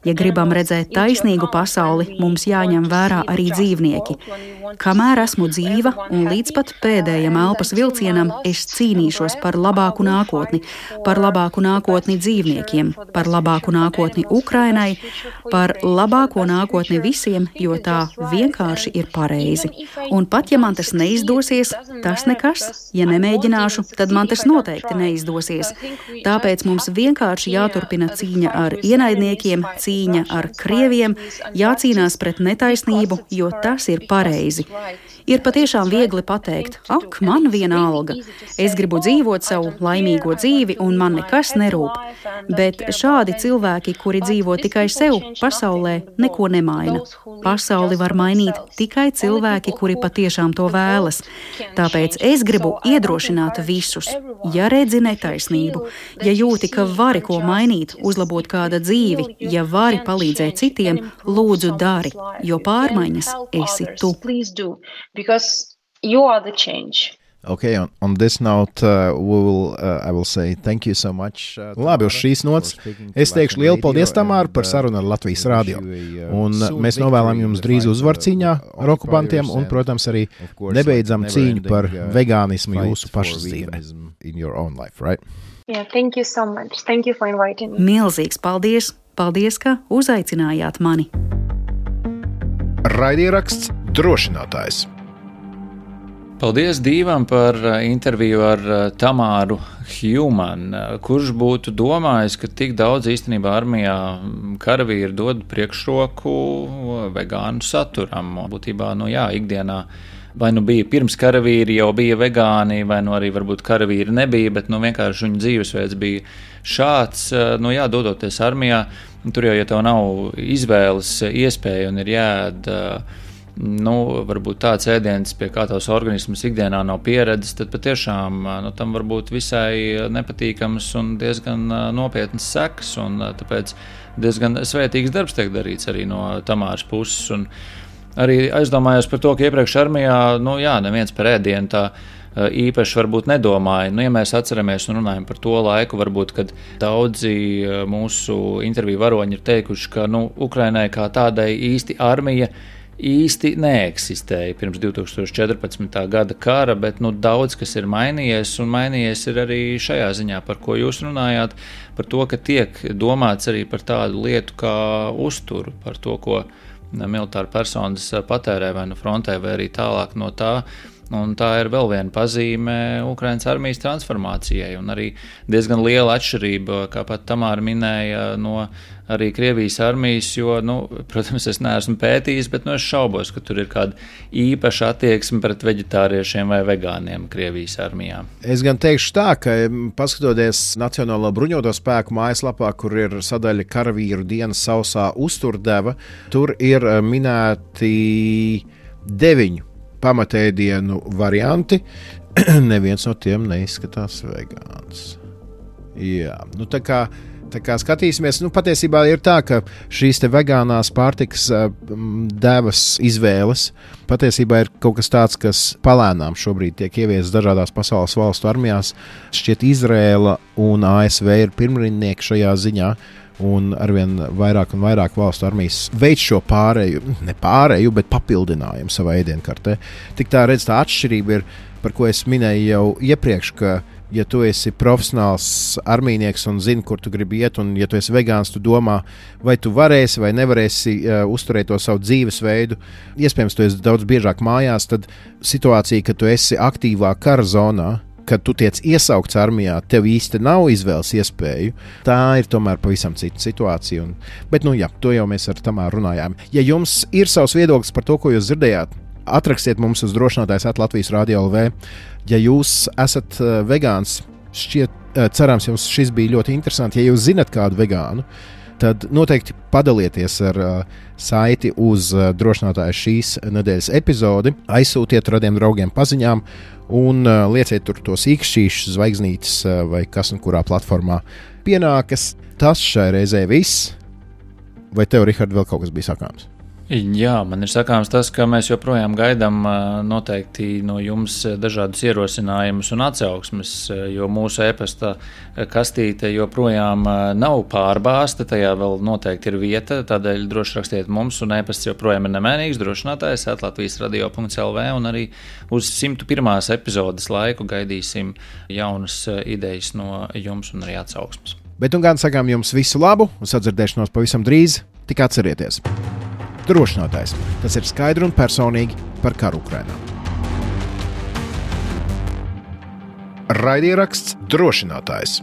Ja gribam redzēt taisnīgu pasauli, mums jāņem vērā arī dzīvnieki. Kamēr esmu dzīva un līdz pat pēdējam elpas vilcienam, es cīnīšos par labāku nākotni, par labāku nākotni dzīvniekiem, par labāku nākotni Ukrainai, par labāko nākotni visiem, jo tā vienkārši ir pareizi. Un pat ja man tas neizdosies, tas nekas. Ja nemēģināšu, tad man tas noteikti neizdosies. Tāpēc mums vienkārši jāturpina cīņa ar ienaidniekiem, cīņa ar krieviem, jācīnās pret netaisnību, jo tas ir pareizi. Ir patiešām viegli pateikt, ak, man viena alga. Es gribu dzīvot savu laimīgo dzīvi un man nekas nerūp. Bet šādi cilvēki, kuri dzīvo tikai sev, pasaulē neko nemaina. Pasauli var mainīt tikai cilvēki, kuri patiešām to vēlas. Tāpēc es gribu iedrošināt visus. Ja redzi netaisnību, ja jūti, ka vari ko mainīt, uzlabot kāda dzīvi, ja vari palīdzēt citiem, lūdzu dari, jo pārmaiņas esi tu. Because you are the change. Okay, on, on this note, uh, we will, uh, I will say thank you so much. Uh, Labi, uz šīs nots es teikšu lielu paldies, Tamāra, par sarunu ar Latvijas radio. Un mēs novēlam jums drīz uzvaru cīņā ar okupantiem un, protams, arī nebeidzam cīņu par vegānismu jūsu pašas dzīvē. Yeah, thank you so much. Thank you for inviting me. Milzīgs paldies! Paldies, ka uzaicinājāt mani! Raidieraksts Drošinātājs. Paldies Dīvam par interviju ar Tamāru Hjūman, kurš būtu domājis, ka tik daudz īstenībā armijā karavīri dod priekšroku vegānu saturam. Būtībā, nu jā, ikdienā vai nu bija pirms karavīri jau bija vegāni, vai nu arī varbūt karavīri nebija, bet nu vienkārši viņu dzīvesveids bija šāds, nu jā, dodoties armijā, tur jau, ja tev nav izvēles iespēja un ir jāēd nu, varbūt tāds ēdiens, pie kā tavs organisms ikdienā nav pieredzis, tad patiešām nu, tam var būt visai nepatīkams un diezgan nopietnas sekas, un tāpēc diezgan svētīgs darbs tiek darīts arī no Tamāras puses. Un arī aizdomājos par to, ka iepriekš armijā, nu jā, neviens par ēdienu tā īpaši varbūt nedomāja. Nu, ja mēs atceramies un runājam par to laiku, varbūt, kad daudzi mūsu interviju varoņi ir teikuši, ka nu, Ukrainai kā tādai īsti armija īsti neeksistēja pirms divi tūkstoši četrpadsmitā gada kara, bet nu, daudz kas ir mainījies, un mainījies ir arī šajā ziņā, par ko jūs runājāt, par to, ka tiek domāts arī par tādu lietu kā uzturu, par to, ko militāri personas patērē vai no frontē, vai arī tālāk no tā. Un tā ir vēl viena pazīme Ukrainas armijas transformācijai, un arī diezgan liela atšķirība, kā pat Tamāra minēja, no arī Krievijas armijas, jo, nu, protams, es neesmu pētījis, bet nu, es šaubos, ka tur ir kāda īpaša attieksme pret veģetāriešiem vai vegāniem Krievijas armijā. Es gan teikšu tā, ka paskatoties Nacionālo bruņoto spēku mājaslapā, kur ir sadaļa karavīru dienas sausā uzturdeva, tur ir minēti deviņu pamatēdienu varianti. Neviens no tiem neizskatās vegāns. Jā, nu tā kā, tā kā skatīsimies, nu patiesībā ir tā, ka šīs te vegānās pārtikas devas izvēles patiesībā ir kaut kas tāds, kas palēnām šobrīd tiek ieviests dažādās pasaules valstu armijās. Šķiet Izrēla un A S V ir pirmrindnieki šajā ziņā. Un arvien vairāk un vairāk valstu armijas veids šo pārēju, ne pārēju, bet papildinājumu savā ēdienkartē. Tik tā redz, tā atšķirība ir, par ko es minēju jau iepriekš, ka ja tu esi profesionāls armijnieks un zini, kur tu gribi iet, un ja tu esi vegāns, tu domā, vai tu varēsi vai nevarēsi uh, uzturēt to savu dzīvesveidu. Iespējams, tu esi daudz biežāk mājās, tad situācija, ka tu esi aktīvā kara zonā, kad tu tiec iesaukts armijā, tev īsti nav izvēles iespēju. Tā ir tomēr pavisam cita situācija. Un, bet, nu jā, to jau mēs ar Tamāru runājām. Ja jums ir savs viedoklis par to, ko jūs dzirdējāt, atrakstiet mums uz drošinātājs at Latvijas radio L V. Ja jūs esat uh, vegāns, šķiet, uh, cerams, jums šis bija ļoti interesanti. Ja jūs zinat kādu vegānu, tad noteikti padalieties ar uh, saiti uz uh, drošinātāja šīs nedēļas epizodi, aizsūtiet radiem draugiem paziņām un uh, lieciet tur tos īkšķīšus, zvaigznītes uh, vai kas un kurā platformā pienākas. Tas šai reizē viss. Vai tev, Rihard, vēl kaut kas bija sakāms? Jā, man ir sakāms tas, ka mēs joprojām gaidām noteikti no jums dažādus ierosinājumus un atsauksmes, jo mūsu e-pasta kastīte joprojām nav pārbāzta, tajā vēl noteikti ir vieta, tādēļ droši rakstiet mums, un e-pasts joprojām ir nemēnīgs, drošinātājs at latvijas radio punkts l v, un arī uz simtu pirmās epizodes laiku gaidīsim jaunas idejas no jums un arī atsauksmes. Bet un gan sakām jums visu labu un sadzirdēšanos pavisam drīz, tik atcerieties. Drošinātājs. Tas ir skaidri un personīgi par karu Ukrainā. Raidieraksts Drošinātājs.